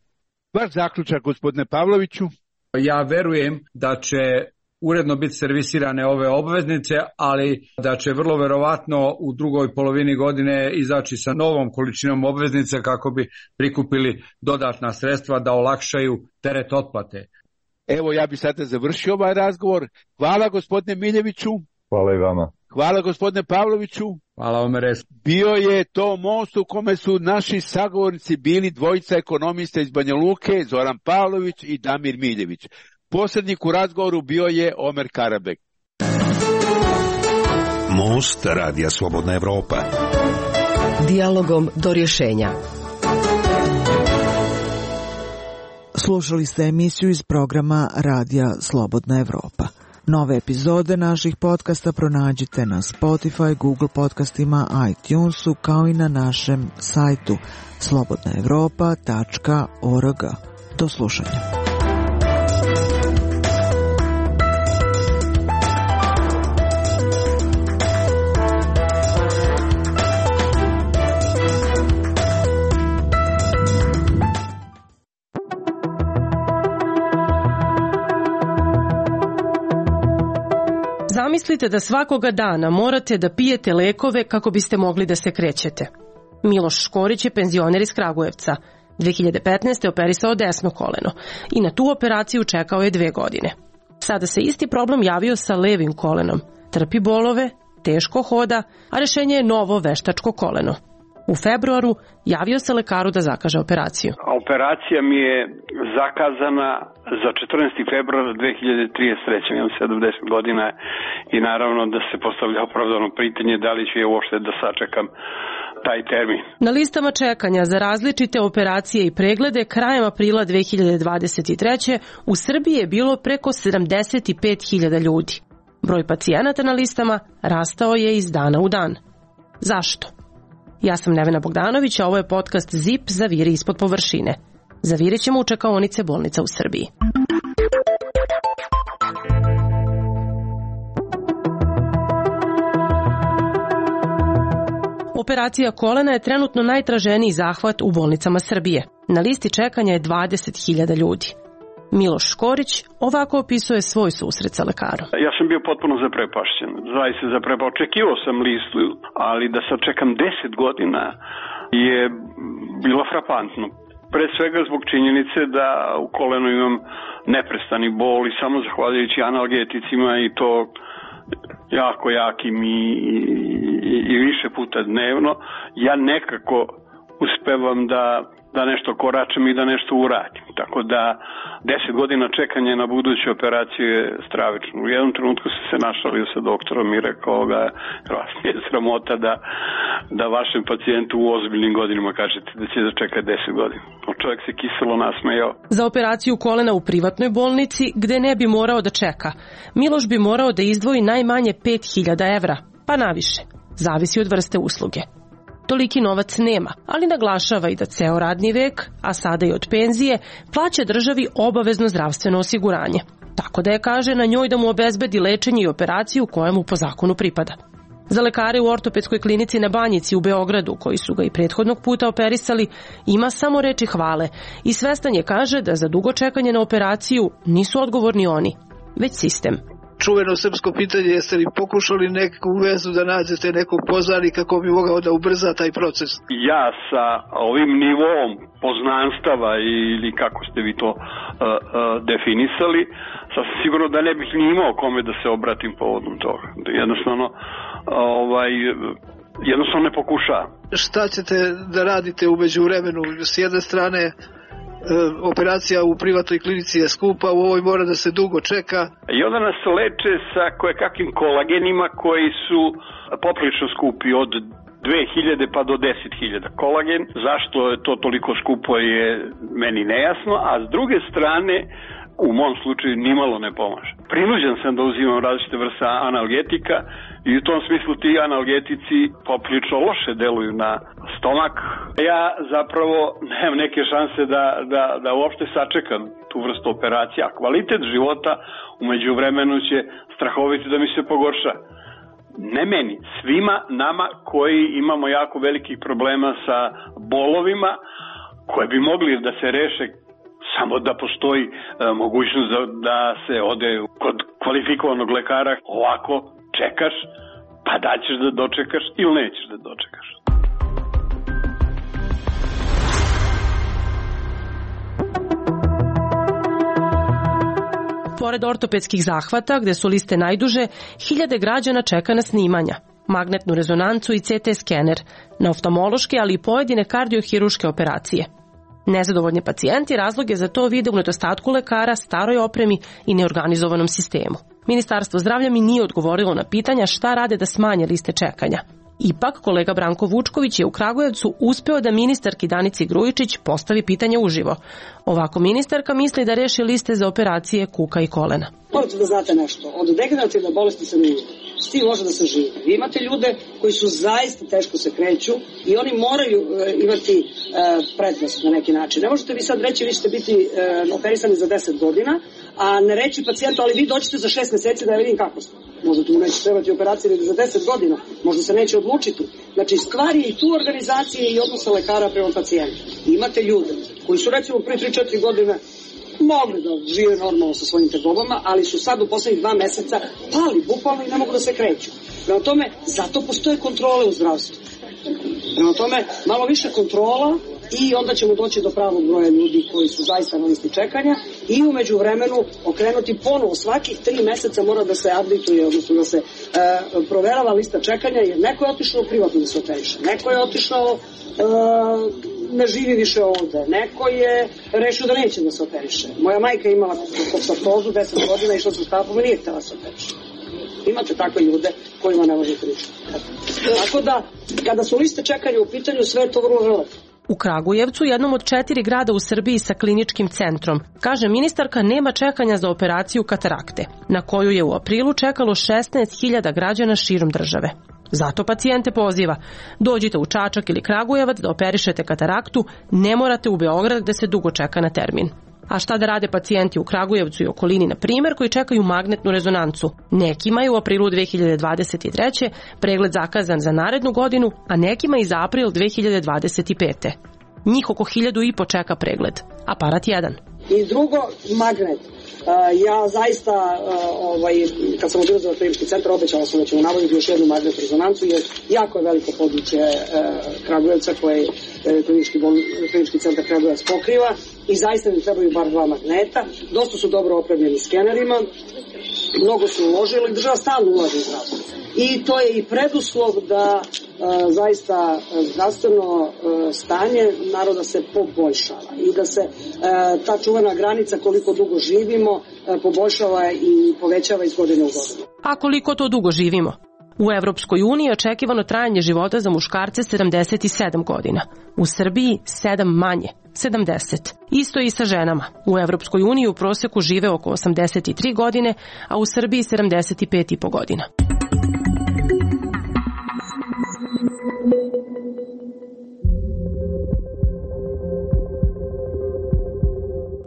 Vaš zaključak, gospodine Pavloviću?
Ja verujem da će uredno biti servisirane ove obveznice, ali da će vrlo verovatno u drugoj polovini godine izaći sa novom količinom obveznice kako bi prikupili dodatna sredstva da olakšaju teret otplate.
Evo, ja bih sada završio ovaj razgovor. Hvala gospodine Miljeviću.
Hvala i vama.
Hvala gospodine Pavloviću.
Hvala Omeres.
Bio je to most u kome su naši sagovornici bili dvojica ekonomista iz Banja Luke, Zoran Pavlović i Damir Miljević. Posrednik u razgovoru bio je Omer Karabek.
Most Radija Slobodna Evropa.
Dijalogom do rješenja.
Slušali ste emisiju iz programa Radija Slobodna Evropa. Nove epizode naših podcasta pronađite na Spotify, Google podcastima, iTunesu, kao i na našem sajtu slobodna evropa tačka org. Do slušanja.
Zamislite da svakoga dana morate da pijete lekove kako biste mogli da se krećete. Miloš Škorić je penzioner iz Kragujevca. dve hiljade petnaeste. operisao desno koleno i na tu operaciju čekao je dve godine. Sada se isti problem javio sa levim kolenom. Trpi bolove, teško hoda, a rešenje je novo veštačko koleno. U februaru javio se lekaru da zakaže operaciju.
Operacija mi je zakazana za četrnaesti februar dve hiljade trideset treće. Imam sedamdeset godina i naravno da se postavlja opravdano pitanje da li ću je uopšte da sačekam taj termin.
Na listama čekanja za različite operacije i preglede krajem aprila dve hiljade dvadeset treće. u Srbiji je bilo preko sedamdeset pet hiljada ljudi. Broj pacijenata na listama rastao je iz dana u dan. Zašto? Ja sam Nevena Bogdanović, a ovo je podcast ZIP Zaviri ispod površine. Zavirit ćemo u čekaonice bolnica u Srbiji. Operacija kolena je trenutno najtraženiji zahvat u bolnicama Srbije. Na listi čekanja je dvadeset hiljada ljudi. Miloš Škorić ovako opisuje svoj susret sa lekarom.
Ja sam bio potpuno zaprepašćen. Zaista zaprepašćen. Očekivao sam listu, ali da sad čekam deset godina je bilo frapantno. Pre svega zbog činjenice da u kolenu imam neprestani bol i samo zahvaljujući analgeticima i to jako jakim i, i, i više puta dnevno, ja nekako uspevam da da nešto koračem i da nešto uradim. Tako da deset godina čekanja na buduću operaciju je stravično. U jednom trenutku sam se našalio sa doktorom i rekao ga, vas je sramota da, da vašem pacijentu u ozbiljnim godinama kažete da će da čeka deset godina. O, čovjek se kiselo nasmejao.
Za operaciju kolena u privatnoj bolnici, gde ne bi morao da čeka, Miloš bi morao da izdvoji najmanje pet hiljada evra, pa naviše. Zavisi od vrste usluge. Toliki novac nema, ali naglašava i da ceo radni vek, a sada i od penzije, plaća državi obavezno zdravstveno osiguranje. Tako da je, kaže, na njoj da mu obezbedi lečenje i operaciju koja mu po zakonu pripada. Za lekare u ortopedskoj klinici na Banjici u Beogradu, koji su ga i prethodnog puta operisali, ima samo reči hvale i svestan je, kaže, da za dugo čekanje na operaciju nisu odgovorni oni, već sistem.
Čuveno srpsko pitanje, jeste li pokušali neku vezu da nađete nekog poznanika kako bi mogao da ubrza taj proces?
Ja sa ovim nivom poznanstava ili kako ste vi to uh, uh, definisali, sasvim sigurno da ne bih ni imao kome da se obratim povodom toga. Jednostavno, ovaj, jednostavno ne pokušavam.
Šta ćete da radite umeđu vremenu? S jedne strane, operacija u privatnoj klinici je skupa, u ovoj mora da se dugo čeka.
I onda nas leče sa kojekakvim kolagenima koji su poprilično skupi, od dve hiljade pa do deset hiljada kolagen. Zašto je to toliko skupo je meni nejasno, a s druge strane u mom slučaju nimalo ne pomaže. Prinuđen sam da uzimam različite vrste analgetika i u tom smislu ti analgetici poprilično loše deluju na stomak. Ja zapravo nemam neke šanse da, da, da uopšte sačekam tu vrstu operacije, a kvalitet života umeđu vremenu će strahovito da mi se pogorša. Ne meni, svima nama koji imamo jako velikih problema sa bolovima koje bi mogli da se reše samo da postoji e, mogućnost da, da se ode kod kvalifikovanog lekara. Ovako čekaš, pa da ćeš da dočekaš ili nećeš da dočekaš.
Pored ortopedskih zahvata, gde su liste najduže, hiljade građana čeka na snimanja, magnetnu rezonancu i ce te skener, na oftalmološke, ali i pojedine kardiohiruške operacije. Nezadovoljni pacijenti razlog je za to vide u nedostatku lekara, staroj opremi i neorganizovanom sistemu. Ministarstvo zdravlja mi nije odgovorilo na pitanja šta rade da smanje liste čekanja. Ipak, kolega Branko Vučković je u Kragujevcu uspeo da ministarki Danici Grujičić postavi pitanje uživo. Ovako ministarka misli da reši liste za operacije kuka i kolena.
Morate da znate nešto, od degenerativne bolesti se ne ide. S tim može da se živi. Vi imate ljude koji su zaista teško se kreću i oni moraju e, imati e, prednost na neki način. Ne možete vi sad reći vi ćete biti e, operisani za deset godina, a ne reći pacijentu, ali vi dođete za šest meseci da ja vidim kako ste. Možda tu neće trebati operacije za deset godina, možda se neće odlučiti. Znači, stvar je i tu organizacije i odnosa lekara prema pacijentu. Imate ljude koji su recimo pre tri četiri godine mogli da žive normalno sa svojim tegobama, ali su sad u poslednjih dva meseca pali bukvalno i ne mogu da se kreću. Prema tome, zato postoje kontrole u zdravstvu. Prema tome, malo više kontrola i onda ćemo doći do pravog broja ljudi koji su zaista na listi čekanja i umeđu vremenu okrenuti ponovo. Svakih tri meseca mora da se updateuje, odnosno da se e, proverava lista čekanja, jer neko je otišao privatno da se operiše, neko je otišao e, ne živi više ovde, neko je rešio da neće da se operiše. Moja majka je imala kopsartozu, deset godina, išla sa stapom i nije htjela da se operiše. Imate takve ljude kojima ne može pričati. Tako da, kada su liste čekanja u pitanju, sve je to vrlo relativno.
U Kragujevcu, jednom od četiri grada u Srbiji sa kliničkim centrom, kaže ministarka, nema čekanja za operaciju katarakte, na koju je u aprilu čekalo šesnaest hiljada građana širom države. Zato pacijente poziva, dođite u Čačak ili Kragujevac da operišete kataraktu, ne morate u Beograd da se dugo čeka na termin. A šta da rade pacijenti u Kragujevcu i okolini, na primjer, koji čekaju magnetnu rezonancu? Nekima je u aprilu dve hiljade dvadeset treće pregled zakazan za narednu godinu, a nekima i za april dve hiljade dvadeset pete. Njih oko hiljadu i po čeka pregled. Aparat jedan.
I drugo, magnet. Uh, ja zaista, uh, ovaj, kad sam odbila za klinički centar, obećala sam da ćemo nabaviti još jednu magnetnu rezonancu, jer jako je veliko područje uh, Kragujevca koje uh, klinički, bol, klinički centar Kragujevac pokriva i zaista mi trebaju bar dva magneta. Dosta su dobro opremljeni skenerima, mnogo su uložili, država stalno ulaže u zdravstvo. I to je i preduslov da e, zaista zdravstveno e, stanje naroda se poboljšava i da se e, ta čuvena granica koliko dugo živimo e, poboljšava i povećava iz godine u godinu.
A koliko to dugo živimo? U Evropskoj uniji je očekivano trajanje života za muškarce sedamdeset sedam godina. U Srbiji sedam manje, sedamdeset. Isto i sa ženama. U Evropskoj uniji u proseku žive oko osamdeset tri godine, a u Srbiji sedamdeset pet i po godina.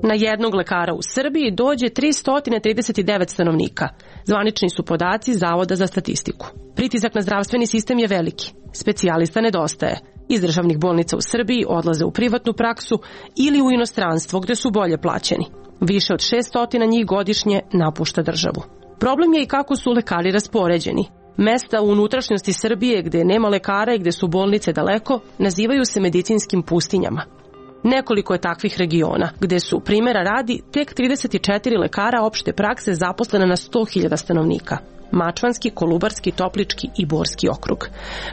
Na jednog lekara u Srbiji dođe tristo trideset devet stanovnika. Zvanični su podaci Zavoda za statistiku. Pritisak na zdravstveni sistem je veliki. Specijalista nedostaje. Iz državnih bolnica u Srbiji odlaze u privatnu praksu ili u inostranstvo gde su bolje plaćeni. Više od šessto njih godišnje napušta državu. Problem je i kako su lekari raspoređeni. Mesta u unutrašnjosti Srbije gde nema lekara i gde su bolnice daleko nazivaju se medicinskim pustinjama. Nekoliko je takvih regiona, gde su, primjera radi, tek trideset četiri lekara opšte prakse zaposlene na sto hiljada stanovnika. Mačvanski, Kolubarski, Toplički i Borski okrug.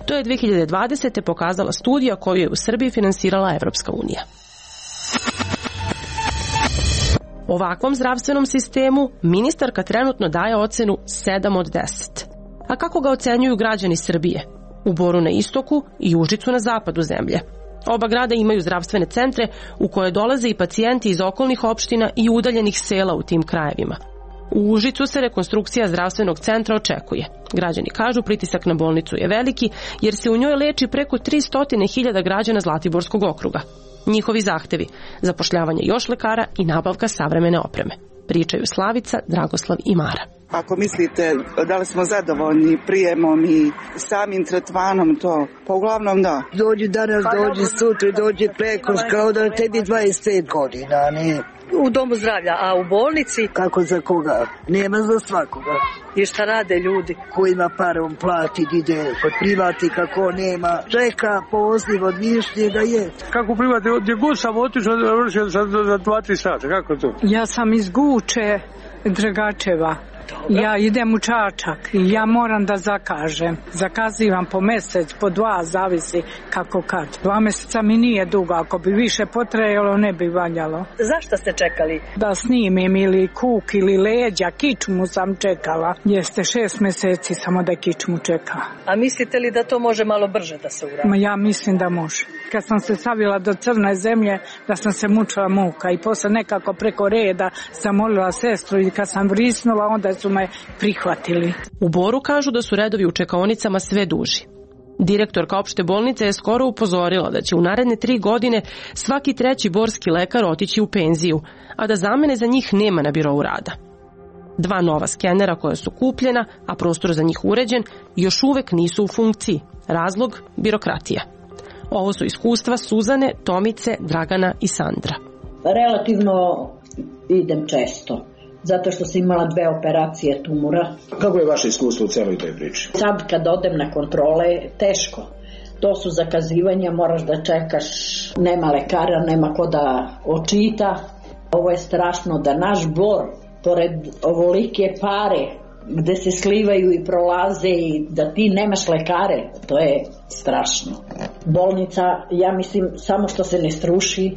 To je dve hiljade dvadesete pokazala studija koju je u Srbiji finansirala Evropska unija. Ovakvom zdravstvenom sistemu ministarka trenutno daje ocenu sedam od deset. A kako ga ocenjuju građani Srbije? U Boru na istoku i Užicu na zapadu zemlje. Oba grada imaju zdravstvene centre u koje dolaze i pacijenti iz okolnih opština i udaljenih sela u tim krajevima. U Užicu se rekonstrukcija zdravstvenog centra očekuje. Građani kažu pritisak na bolnicu je veliki jer se u njoj leči preko tristo hiljada građana Zlatiborskog okruga. Njihovi zahtevi, zapošljavanje još lekara i nabavka savremene opreme. Pričaju Slavica, Dragoslav i Mara.
Ako mislite da li smo zadovoljni prijemom i samim tretmanom, to pa uglavnom da.
Dođi danas, dođi sutra, dođi preko, kao da tebi dvadeset pet godina, ne?
U domu zdravlja, a u bolnici?
Kako za koga? Nema za svakoga.
I šta rade ljudi?
Ko ima para, on plati, ide kod privatnika, ko nema. Čeka poziv od mišlje da je.
Kako privati, gdje god sam otišao, završio za dva tri sata, kako to?
Ja sam iz Guče, Dragačeva. Ja idem u Čačak i ja moram da zakažem. Zakazivam po mesec, po dva, zavisi kako kad. Dva meseca mi nije dugo, ako bi više potrajalo ne bi valjalo.
Zašto ste čekali?
Da snimim ili kuk ili leđa, kičmu sam čekala. Jeste šest meseci samo da kičmu čeka.
A mislite li da to može malo brže da se uradi?
Ma ja mislim da može. Kad sam se stavila do crne zemlje, da sam se mučila muka i posle nekako preko reda zamolila sestru i kad sam vrisnula, onda su me prihvatili.
U Boru kažu da su redovi u čekaonicama sve duži. Direktorka opšte bolnice je skoro upozorila da će u naredne tri godine svaki treći borski lekar otići u penziju, a da zamene za njih nema na birou rada. Dva nova skenera koja su kupljena, a prostor za njih uređen, još uvek nisu u funkciji. Razlog? Birokratija. Ovo su iskustva Suzane, Tomice, Dragana i Sandra.
Relativno idem često, zato što sam imala dve operacije tumora.
Kako je vaše iskustvo u celoj toj priči?
Sad kad odem na kontrole, teško. To su zakazivanja, moraš da čekaš, nema lekara, nema ko da očita. Ovo je strašno da naš Bor, pored ovolike pare, gde se slivaju i prolaze i da ti nemaš lekare, to je strašno. Bolnica, ja mislim, samo što se ne struši,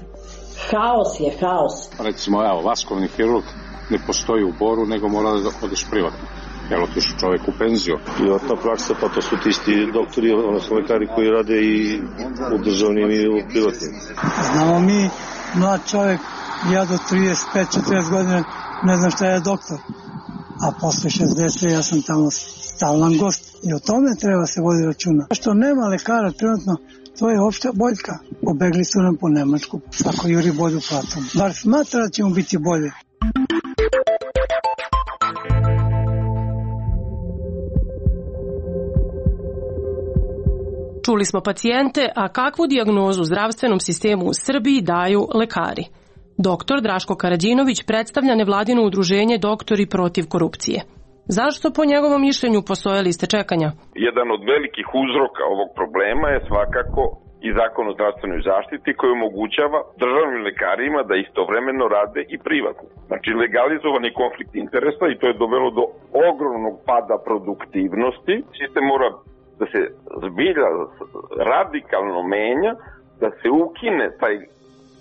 haos je haos.
Recimo, evo, vaskovni hirurg ne postoji u Boru, nego mora da odeš privatno. Jel, otišu čovek u penziju.
Privatna praksa, pa to su ti isti doktori, odnosno lekari koji rade i u državnim i u privatnim.
Znamo mi, mlad čovek, ja do trideset pet četrdeset godina ne znam šta je doktor. A posle šezdeset ja sam tamo stalan gost. I o tome treba se vodi računa. Što nema lekara trenutno, to je opšta boljka. Pobegli su nam po Nemačku. Svako juri bolju platom. Bar smatra da će mu biti bolje.
Čuli smo pacijente, a kakvu dijagnozu zdravstvenom sistemu u Srbiji daju lekari? Doktor Draško Karađinović predstavlja nevladino udruženje Doktori protiv korupcije. Zašto po njegovom mišljenju postoje liste čekanja?
Jedan od velikih uzroka ovog problema je svakako i Zakon o zdravstvenoj zaštiti koji omogućava državnim lekarima da istovremeno rade i privatno. Znači legalizovani konflikt interesa i to je dovelo do ogromnog pada produktivnosti. Sistem mora da se zbilja radikalno menja, da se ukine taj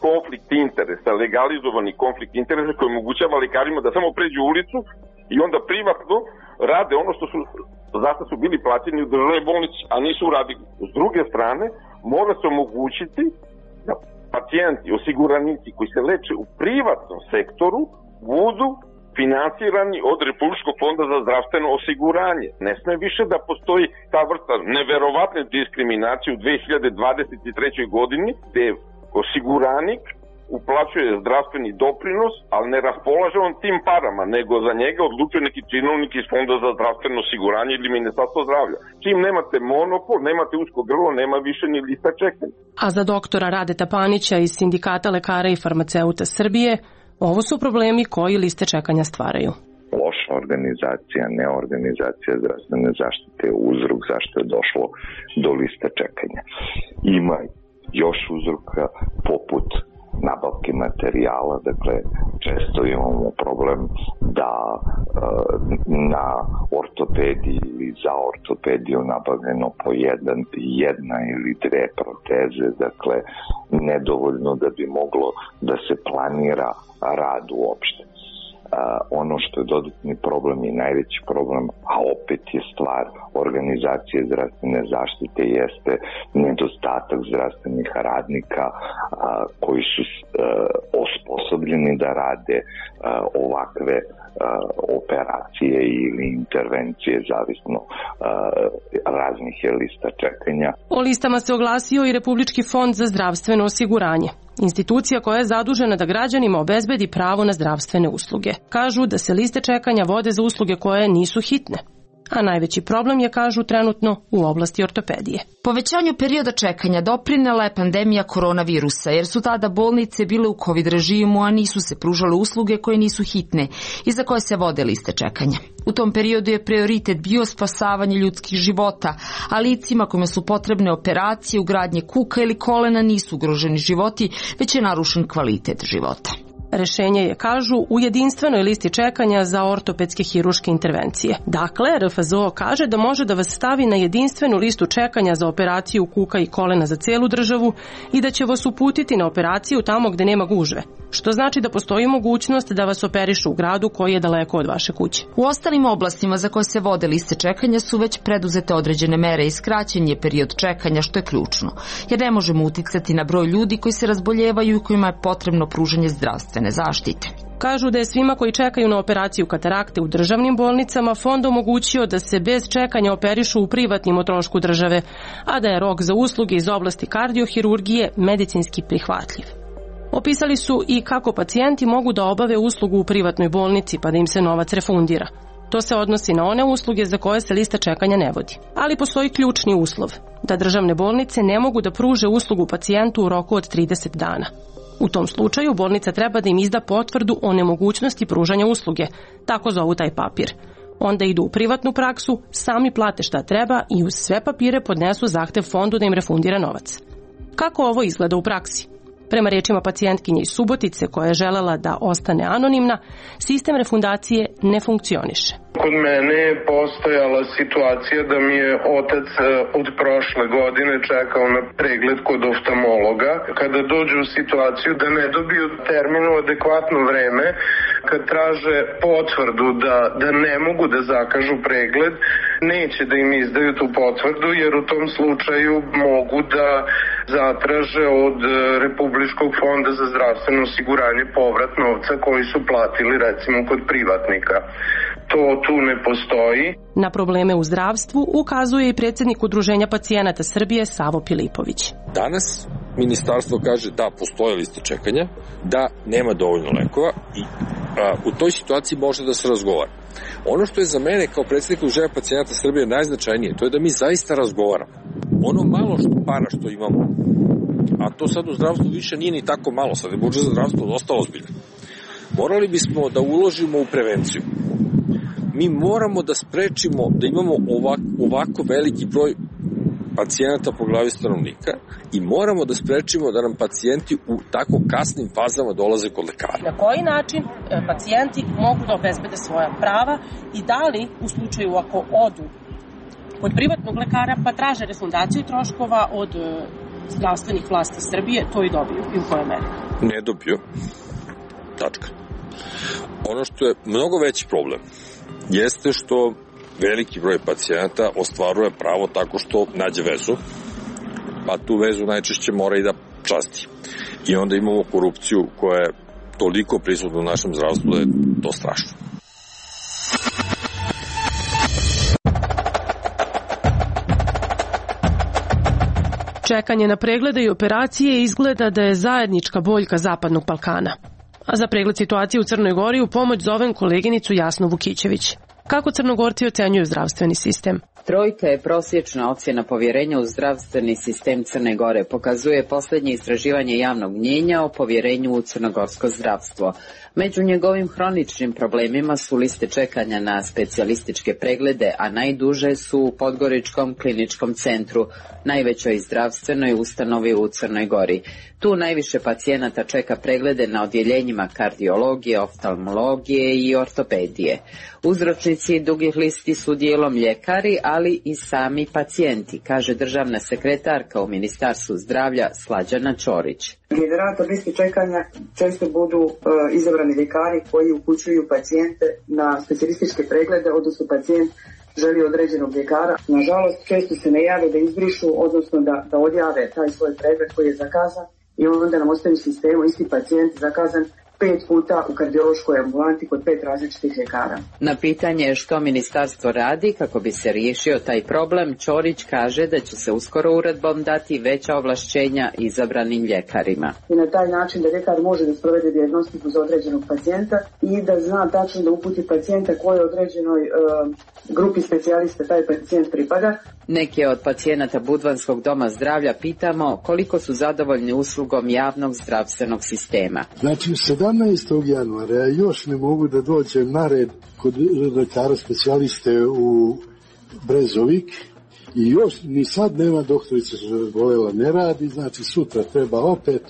konflikt interesa, legalizovani konflikt interesa koji omogućava lekarima da samo pređu ulicu i onda privatno rade ono što su, zašto su bili plaćeni u državnoj bolnici, a nisu uradili. S druge strane, mora se omogućiti da pacijenti, osiguranici koji se leče u privatnom sektoru budu finansirani od Republičkog fonda za zdravstveno osiguranje. Ne sme više da postoji ta vrsta neverovatne diskriminacije u dve hiljade dvadeset trećoj godini gde osiguranik uplaćuje zdravstveni doprinos, ali ne raspolaže on tim parama, nego za njega odlučuje neki činovnik iz Fonda za zdravstveno osiguranje ili Ministarstvo zdravlja. Čim nemate monopol, nemate usko grlo, nema više ni lista čekanja.
A za doktora Radeta Panića iz Sindikata lekara i farmaceuta Srbije, ovo su problemi koji liste čekanja stvaraju.
Loša organizacija, neorganizacija zdravstvene zaštite je uzrok zašto je došlo do liste čekanja. Ima još uzroka poput nabavke materijala, dakle često imamo problem da e, na ortopediji ili za ortopediju nabavljeno po jedan, jedna ili dve proteze, dakle nedovoljno da bi moglo da se planira rad uopšte. Uh, ono što je dodatni problem i najveći problem, a opet je stvar organizacije zdravstvene zaštite, jeste nedostatak zdravstvenih radnika uh, koji su uh, osposobljeni da rade uh, ovakve uh, operacije ili intervencije, zavisno uh, raznih je lista čekanja.
O listama se oglasio i Republički fond za zdravstveno osiguranje. Institucija koja je zadužena da građanima obezbedi pravo na zdravstvene usluge. Kažu da se liste čekanja vode za usluge koje nisu hitne. A najveći problem je, kažu, trenutno u oblasti ortopedije.
Povećanju perioda čekanja doprinela je pandemija koronavirusa, jer su tada bolnice bile u COVID režimu, a nisu se pružale usluge koje nisu hitne i za koje se vode liste čekanja. U tom periodu je prioritet bio spasavanje ljudskih života, a licima kojima su potrebne operacije, ugradnje kuka ili kolena nisu ugroženi životi, već je narušen kvalitet života.
Rešenje je, kažu, u jedinstvenoj listi čekanja za ortopedske hiruške intervencije. Dakle, R F Z O kaže da može da vas stavi na jedinstvenu listu čekanja za operaciju kuka i kolena za celu državu i da će vas uputiti na operaciju tamo gde nema gužve, što znači da postoji mogućnost da vas operišu u gradu koji je daleko od vaše kuće.
U ostalim oblastima za koje se vode liste čekanja su već preduzete određene mere i skraćen je period čekanja, što je ključno, jer ne možemo uticati na broj ljudi koji se razboljevaju i kojima je potrebno pružanje zdravstvene zaštite.
Kažu da je svima koji čekaju na operaciju katarakte u državnim bolnicama fond omogućio da se bez čekanja operišu u privatnim o trošku države, a da je rok za usluge iz oblasti kardiohirurgije medicinski prihvatljiv. Opisali su i kako pacijenti mogu da obave uslugu u privatnoj bolnici pa da im se novac refundira. To se odnosi na one usluge za koje se lista čekanja ne vodi. Ali postoji ključni uslov, da državne bolnice ne mogu da pruže uslugu pacijentu u roku od trideset dana. U tom slučaju bolnica treba da im izda potvrdu o nemogućnosti pružanja usluge, tako zovu taj papir. Onda idu u privatnu praksu, sami plate šta treba i uz sve papire podnesu zahtev fondu da im refundira novac. Kako ovo izgleda u praksi? Prema rečima pacijentkinje iz Subotice koja je želela da ostane anonimna, sistem refundacije ne funkcioniše.
Kod mene je postojala situacija da mi je otac od prošle godine čekao na pregled kod oftalmologa. Kada dođu u situaciju da ne dobiju termin u adekvatno vreme, kad traže potvrdu da, da ne mogu da zakažu pregled, neće da im izdaju tu potvrdu jer u tom slučaju mogu da zatraže od Republičkog fonda za zdravstveno osiguranje povrat novca koji su platili recimo kod privatnika. To tu ne postoji.
Na probleme u zdravstvu ukazuje i predsjednik Udruženja pacijenata Srbije Savo Pilipović.
Danas ministarstvo kaže da postoje liste čekanja, da nema dovoljno lekova i a, u toj situaciji može da se razgovara. Ono što je za mene kao predsjednik Udruženja pacijenata Srbije najznačajnije, to je da mi zaista razgovaramo. Ono malo što para što imamo, a to sad u zdravstvu više nije ni tako malo, sad je budžet za zdravstvo dosta ozbiljan. Morali bismo da uložimo u prevenciju. Mi moramo da sprečimo da imamo ovak, ovako veliki broj pacijenata po glavi stanovnika i moramo da sprečimo da nam pacijenti u tako kasnim fazama dolaze kod lekara.
Na koji način pacijenti mogu da obezbede svoja prava i da li u slučaju ako odu kod privatnog lekara pa traže refundaciju troškova od zdravstvenih vlasti Srbije, to i dobiju i u kojoj meri?
Ne dobiju. Tačka. Ono što je mnogo veći problem jeste što veliki broj pacijenata ostvaruje pravo tako što nađe vezu, pa tu vezu najčešće mora i da časti. I onda imamo korupciju koja je toliko prisutna u našem zdravstvu da je to strašno.
Čekanje na preglede i operacije izgleda da je zajednička boljka Zapadnog Balkana. A za pregled situacije u Crnoj Gori u pomoć zovem koleginicu Jasnu Vukićević. Kako Crnogorci ocenjuju zdravstveni sistem?
Trojka je prosječna ocjena povjerenja u zdravstveni sistem Crne Gore, pokazuje posljednje istraživanje javnog mnjenja o povjerenju u crnogorsko zdravstvo. Među njegovim hroničnim problemima su liste čekanja na specijalističke preglede, a najduže su u Podgoričkom kliničkom centru, najvećoj zdravstvenoj ustanovi u Crnoj Gori. Tu najviše pacijenata čeka preglede na odjeljenjima kardiologije, oftalmologije i ortopedije. Uzročnici dugih listi su dijelom ljekari, ali i sami pacijenti, kaže državna sekretarka u Ministarstvu zdravlja Slađana Ćorić.
Generator listi čekanja često budu e, izabrani ljekari koji upućuju pacijente na specijalističke preglede, odnosno pacijent želi određenog ljekara. Nažalost, često se ne jave da izbrišu, odnosno da, da odjave taj svoj pregled koji je zakazan i onda nam ostaje u sistemu isti pacijent zakazan pet puta u kardiološkoj ambulanti kod pet različitih ljekara.
Na pitanje što ministarstvo radi kako bi se riješio taj problem, Ćorić kaže da će se uskoro uredbom dati veća ovlašćenja izabranim ljekarima.
I na taj način da ljekar može da sprovede dijagnostiku za određenog pacijenta i da zna tačno da uputi pacijenta kojoj određenoj e, grupi specijalista taj pacijent pripada.
Neke od pacijenata Budvanskog doma zdravlja pitamo koliko su zadovoljni uslugom javnog zdravstvenog sistema.
Znači, sedamnaestog januara ja još ne mogu da dođem na red kod lekara specijaliste u Brezovik i još ni sad nema doktorica što je bolela, ne radi, znači sutra treba opet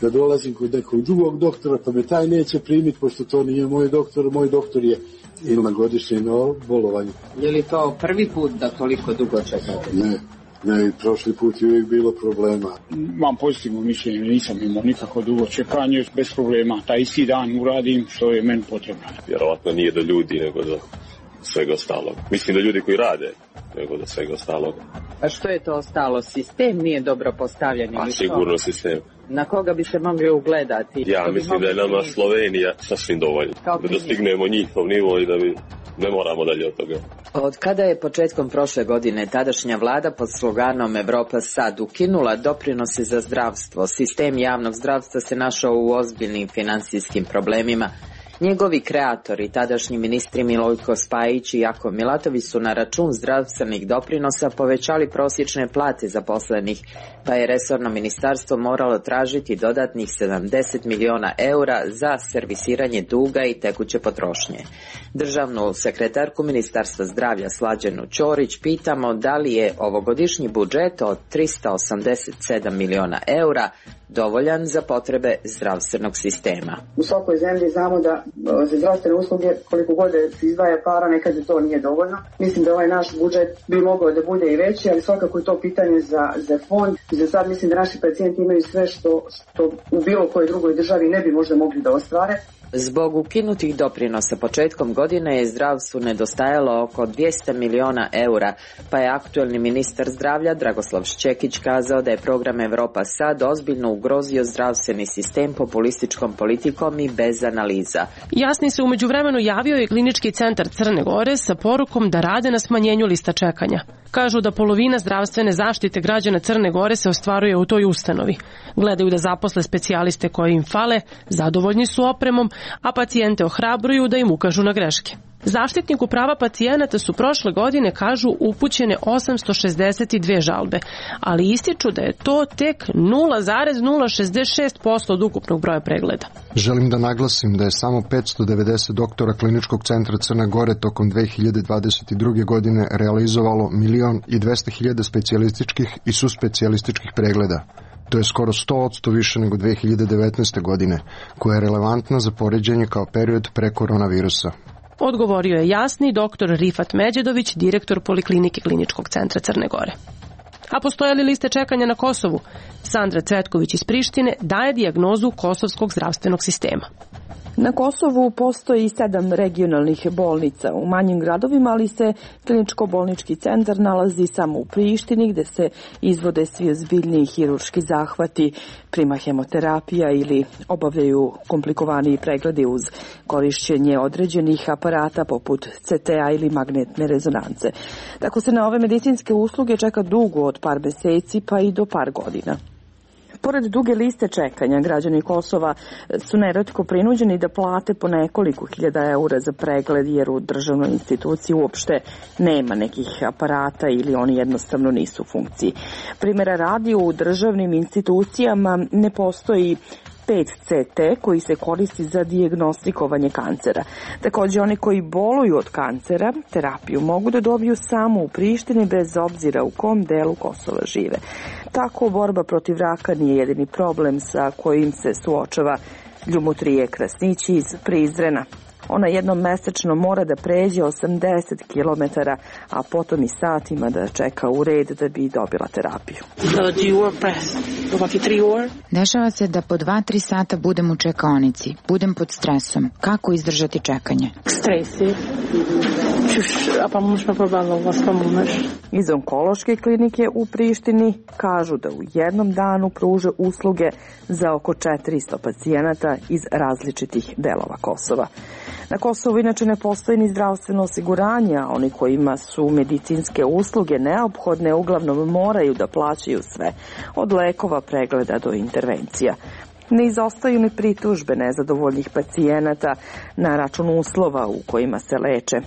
da dolazim kod nekog drugog doktora, pa me taj neće primiti, pošto to nije moj doktor, moj doktor je ili na godišnjem bolovanju.
Je li to prvi put da toliko dugo čekate?
Ne, ne, prošli put je uvijek bilo problema.
Mam pozitivno mišljenje, nisam imao nikako dugo čekanje, bez problema. Taj isti dan uradim što je meni potrebno.
Vjerovatno nije do ljudi, nego do svega ostalog. Mislim da ljudi koji rade, nego do svega ostalog.
A što je to ostalo? Sistem nije dobro postavljen?
A sigurno sistem.
Na koga bi se mogli ugledati?
Ja mislim da je nama Slovenija sasvim dovoljno. Da dostignemo njihov nivo i da bi ne moramo dalje od toga.
Od kada je početkom prošle godine tadašnja vlada pod sloganom Evropa sad ukinula doprinose za zdravstvo, sistem javnog zdravstva se našao u ozbiljnim finansijskim problemima. Njegovi kreatori, tadašnji ministri Milojko Spajić i Jakov Milatović su na račun zdravstvenih doprinosa povećali prosječne plate zaposlenih, pa je resorno ministarstvo moralo tražiti dodatnih sedamdeset miliona eura za servisiranje duga i tekuće potrošnje. Državnu sekretarku Ministarstva zdravlja Slađanu Ćorić pitamo da li je ovogodišnji budžet od trista osamdeset sedam miliona eura dovoljan za potrebe zdravstvenog sistema.
U svakoj zemlji znamo da za zdravstvene usluge koliko god se izdvaja para, nekad to nije dovoljno. Mislim da ovaj naš budžet bi mogao da bude i veći, ali svakako je to pitanje za, za fond. Za sad mislim da naši pacijenti imaju sve što, što u bilo kojoj drugoj državi ne bi možda mogli da ostvare.
Zbog ukinutih doprinosa početkom godine je zdravstvu nedostajalo oko dvjesto miliona eura, pa je aktuelni ministar zdravlja Dragoslav Šćekić kazao da je program Evropa sad ozbiljno ugrozio zdravstveni sistem populističkom politikom i bez analiza.
Jasni se umeđu vremenu javio i klinički centar Crne Gore sa porukom da rade na smanjenju lista čekanja. Kažu da polovina zdravstvene zaštite građana Crne Gore se ostvaruje u toj ustanovi. Gledaju da zaposle specijaliste koji im fale, zadovoljni su opremom, a pacijente ohrabruju da im ukažu na greške. Zaštitniku prava pacijenata su prošle godine, kažu, upućene osamsto šezdeset dvije žalbe, ali ističu da je to tek nula zarez nula šezdeset šest posto od ukupnog broja pregleda.
Želim da naglasim da je samo petsto devedeset doktora Kliničkog centra Crne Gore tokom dve hiljade dvadeset druge. godine realizovalo milion i dvesta hiljada specijalističkih i suspecijalističkih pregleda. To je skoro sto posto više nego dve hiljade devetnaeste. godine, koja je relevantna za poređenje kao period pre koronavirusa.
Odgovorio je jasni doktor Rifat Međedović, direktor Poliklinike Kliničkog centra Crne Gore. A postoje li liste čekanja na Kosovu? Sandra Cvetković iz Prištine daje dijagnozu kosovskog zdravstvenog sistema.
Na Kosovu postoji sedam regionalnih bolnica u manjim gradovima, ali se kliničko-bolnički centar nalazi samo u Prištini, gde se izvode svi ozbiljniji hirurški zahvati, prima hemoterapija ili obavljaju komplikovaniji pregledi uz korišćenje određenih aparata poput ce te a ili magnetne rezonance. Tako se na ove medicinske usluge čeka dugo od par meseci pa i do par godina. Pored duge liste čekanja, građani Kosova su neretko prinuđeni da plate po nekoliko hiljada eura za pregled, jer u državnoj instituciji uopšte nema nekih aparata ili oni jednostavno nisu u funkciji. Primjera radi, u državnim institucijama ne postoji pet ce te koji se koristi za dijagnostikovanje kancera. Također oni koji boluju od kancera terapiju mogu da dobiju samo u Prištini bez obzira u kom delu Kosova žive. Tako borba protiv raka nije jedini problem sa kojim se suočava Ljumotrije Krasnići iz Prizrena. Ona jednom mesečno mora da pređe osamdeset kilometara, a potom i satima da čeka u red da bi dobila terapiju.
Dešava se da po dva tri sata budem u čekaonici, budem pod stresom. Kako izdržati čekanje?
Stres je. Iz onkološke klinike u Prištini kažu da u jednom danu pruže usluge za oko četiristo pacijenata iz različitih delova Kosova. Na Kosovu inače ne postoji ni zdravstveno osiguranje, a oni kojima su medicinske usluge neophodne uglavnom moraju da plaćaju sve, od lekova, pregleda do intervencija. Ne izostaju ni pritužbe nezadovoljnih pacijenata na račun uslova u kojima se leče.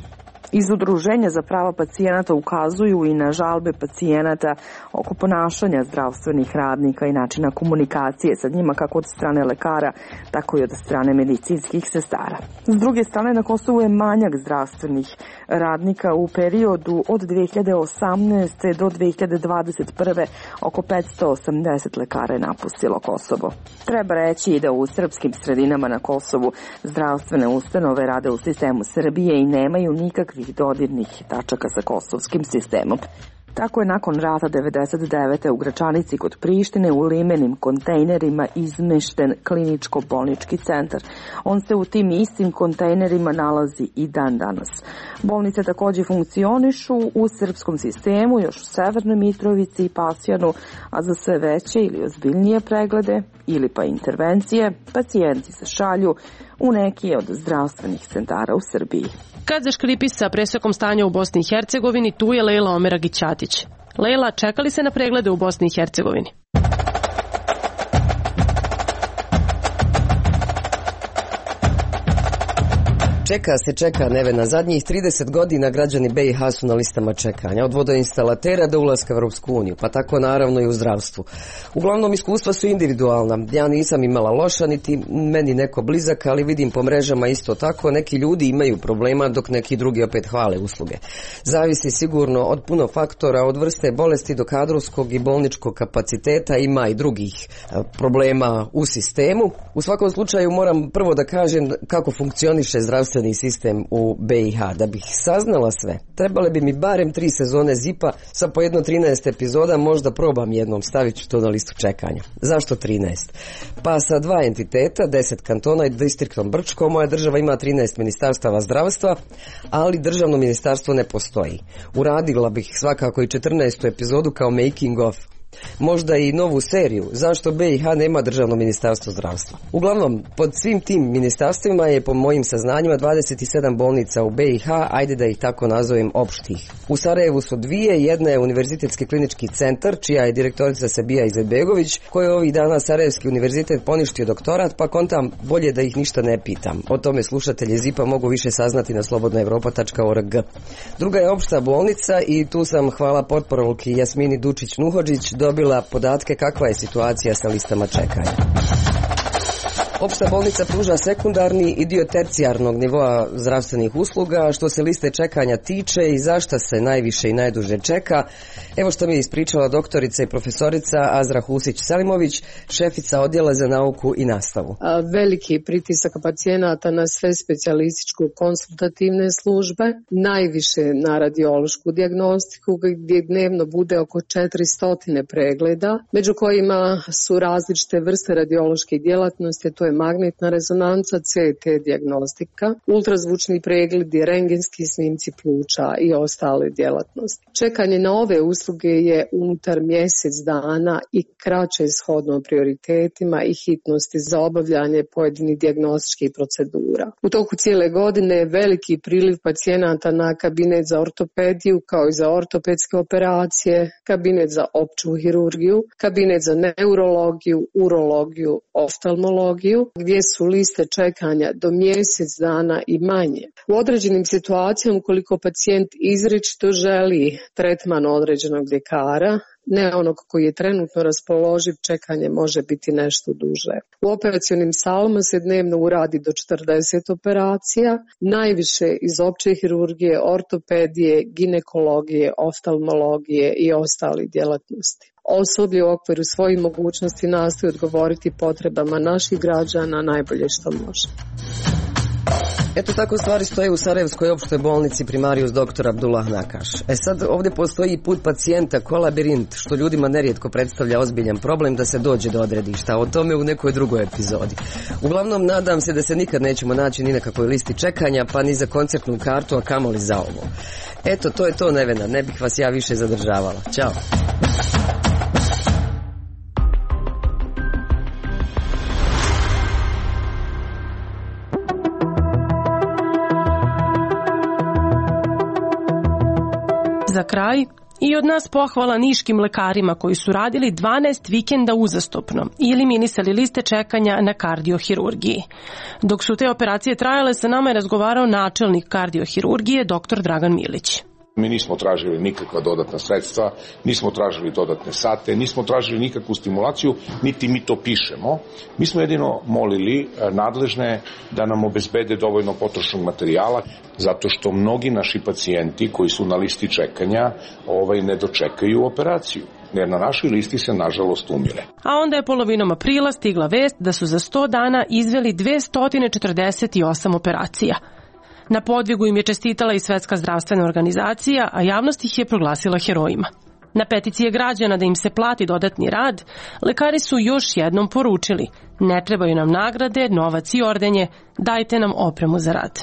Iz Udruženja za prava pacijenata ukazuju i na žalbe pacijenata oko ponašanja zdravstvenih radnika i načina komunikacije sa njima kako od strane lekara, tako i od strane medicinskih sestara. S druge strane, na Kosovu je manjak zdravstvenih radnika. U periodu od dve hiljade osamnaeste. do dve hiljade dvadeset prve. oko petsto osamdeset lekara je napustilo Kosovo. Treba reći i da u srpskim sredinama na Kosovu zdravstvene ustanove rade u sistemu Srbije i nemaju nikakvih dodirnih tačaka sa kosovskim sistemom. Tako je nakon rata devedeset devete. u Gračanici kod Prištine u limenim kontejnerima izmešten kliničko-bolnički centar. On se u tim istim kontejnerima nalazi i dan danas. Bolnice takođe funkcionišu u srpskom sistemu, još u Severnoj Mitrovici i Pasjanu, a za sve veće ili ozbiljnije preglede ili pa intervencije, pacijenti se šalju u neki od zdravstvenih centara u Srbiji.
Kad zaškripi sa presekom stanja u Bosni i Hercegovini, tu je Lejla Omeragić-Ćatić. Lejla, čeka li se na preglede u Bosni i Hercegovini?
Čeka se, čeka Nevena. Zadnjih trideset godina građani B i H su na listama čekanja, od vodoinstalatera do ulaska u Europsku uniju, pa tako naravno i u zdravstvu. Uglavnom iskustva su individualna. Ja nisam imala loša, niti meni neko blizak, ali vidim po mrežama isto tako. Neki ljudi imaju problema, dok neki drugi opet hvale usluge. Zavisi sigurno od puno faktora, od vrste bolesti do kadrovskog i bolničkog kapaciteta, ima i drugih problema u sistemu. U svakom slučaju moram prvo da kažem kako funkcioniše zdravstveni sistem u B i H. Da bih saznala sve, trebale bi mi barem tri sezone zipa sa po jedno trinaest epizoda, možda probam jednom, stavit ću to na listu čekanja. Zašto trinaest? Pa sa dva entiteta, deset kantona i distriktom Brčko, moja država ima trinaest ministarstava zdravstva, ali državno ministarstvo ne postoji. Uradila bih svakako i četrnaestu epizodu kao making of. Možda i novu seriju, zašto B i H nema državno ministarstvo zdravstva. Uglavnom, pod svim tim ministarstvima je po mojim saznanjima dvadeset sedam bolnica u B i H, ajde da ih tako nazovem opštih. U Sarajevu su dvije, jedna je Univerzitetski klinički centar, čija je direktorica Sebija Izetbegović, koja je ovih dana Sarajevski univerzitet poništio doktorat, pa kontam bolje da ih ništa ne pitam. O tome slušatelji Zipa mogu više saznati na slobodna evropa tačka org. Druga je opšta bolnica i tu sam, hvala potporolki Jasmini Dučić-Nuhodžić, dobila podatke kakva je situacija sa listama čekanja. Opšta bolnica pruža sekundarni i dio tercijarnog nivoa zdravstvenih usluga. Što se liste čekanja tiče i zašta se najviše i najduže čeka, evo što mi je ispričala doktorica i profesorica Azra Husić-Selimović, šefica odjela za nauku i nastavu.
Veliki pritisak pacijenata na sve specijalističko-konsultativne službe, najviše na radiološku dijagnostiku gdje dnevno bude oko četiristo pregleda, među kojima su različite vrste radiološke djelatnosti, to je magnetna rezonanca, C T dijagnostika, ultrazvučni pregledi, rentgenski snimci pluća i ostale djelatnosti. Čekanje na ove usluge je unutar mjesec dana i kraće shodno prioritetima i hitnosti za obavljanje pojedinih dijagnostičkih procedura. U toku cijele godine je veliki priliv pacijenata na kabinet za ortopediju kao i za ortopedske operacije, kabinet za opću hirurgiju, kabinet za neurologiju, urologiju, oftalmologiju, gdje su liste čekanja do mjesec dana i manje. U određenim situacijama, ukoliko pacijent izričito želi tretman određenog ljekara, ne onog koji je trenutno raspoloživ, čekanje može biti nešto duže. U operacionim salama se dnevno uradi do četrdeset operacija, najviše iz opće hirurgije, ortopedije, ginekologije, oftalmologije i ostali djelatnosti. Osoblje u okviru svojih mogućnosti nastoji odgovoriti potrebama naših građana najbolje što može.
Eto tako stvari stoje u Sarajevskoj opštoj bolnici Primarius doktor Abdullah Nakaš. E sad ovdje postoji put pacijenta ko labirint, što ljudima nerijetko predstavlja ozbiljan problem da se dođe do odredišta. O tome u nekoj drugoj epizodi. Uglavnom nadam se da se nikad nećemo naći ni na kakvoj listi čekanja, pa ni za koncertnu kartu, a kamoli za ovo. Eto, to je to, Nevena, ne bih vas ja više zadržavala. Ćao.
Za kraj, i od nas pohvala niškim lekarima koji su radili dvanaest vikenda uzastopno i eliminisali liste čekanja na kardiohirurgiji. Dok su te operacije trajale, sa nama je razgovarao načelnik kardiohirurgije dr. Dragan Milić.
Mi nismo tražili nikakva dodatna sredstva, nismo tražili dodatne sate, nismo tražili nikakvu stimulaciju, niti mi to pišemo. Mi smo jedino molili nadležne da nam obezbede dovoljno potrošnog materijala, zato što mnogi naši pacijenti koji su na listi čekanja ovaj, ne dočekaju operaciju, jer na našoj listi se nažalost umire.
A onda je polovinom aprila stigla vest da su za sto dana izveli dvesta četrdeset osam operacija. Na podvigu im je čestitala i Svetska zdravstvena organizacija, a javnost ih je proglasila herojima. Na peticije građana da im se plati dodatni rad, lekari su još jednom poručili: ne trebaju nam nagrade, novac i ordenje, dajte nam opremu za rad.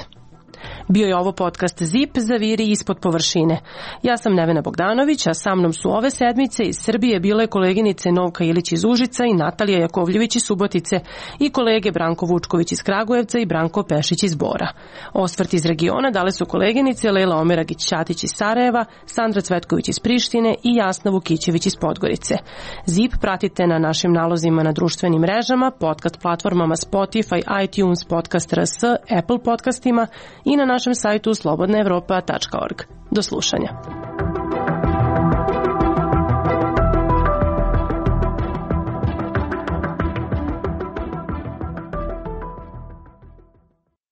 Bio je ovo podcast Zip, zaviri ispod površine. Ja sam Nevena Bogdanović, a sa mnom su ove sedmice iz Srbije bile koleginice Novka Ilić iz Užica i Natalija Jakovljević iz Subotice i kolege Branko Vučković iz Kragujevca i Branko Pešić iz Bora. Osvrt iz regiona dale su koleginice Lela Omeragić-Ćatić iz Sarajeva, Sandra Cvetković iz Prištine i Jasna Vukićević iz Podgorice. Zip pratite na našim nalozima na društvenim mrežama, podcast platformama Spotify, iTunes, Podcast R S, Apple podcastima i na našem sajtu slobodna evropa tačka org. Do slušanja.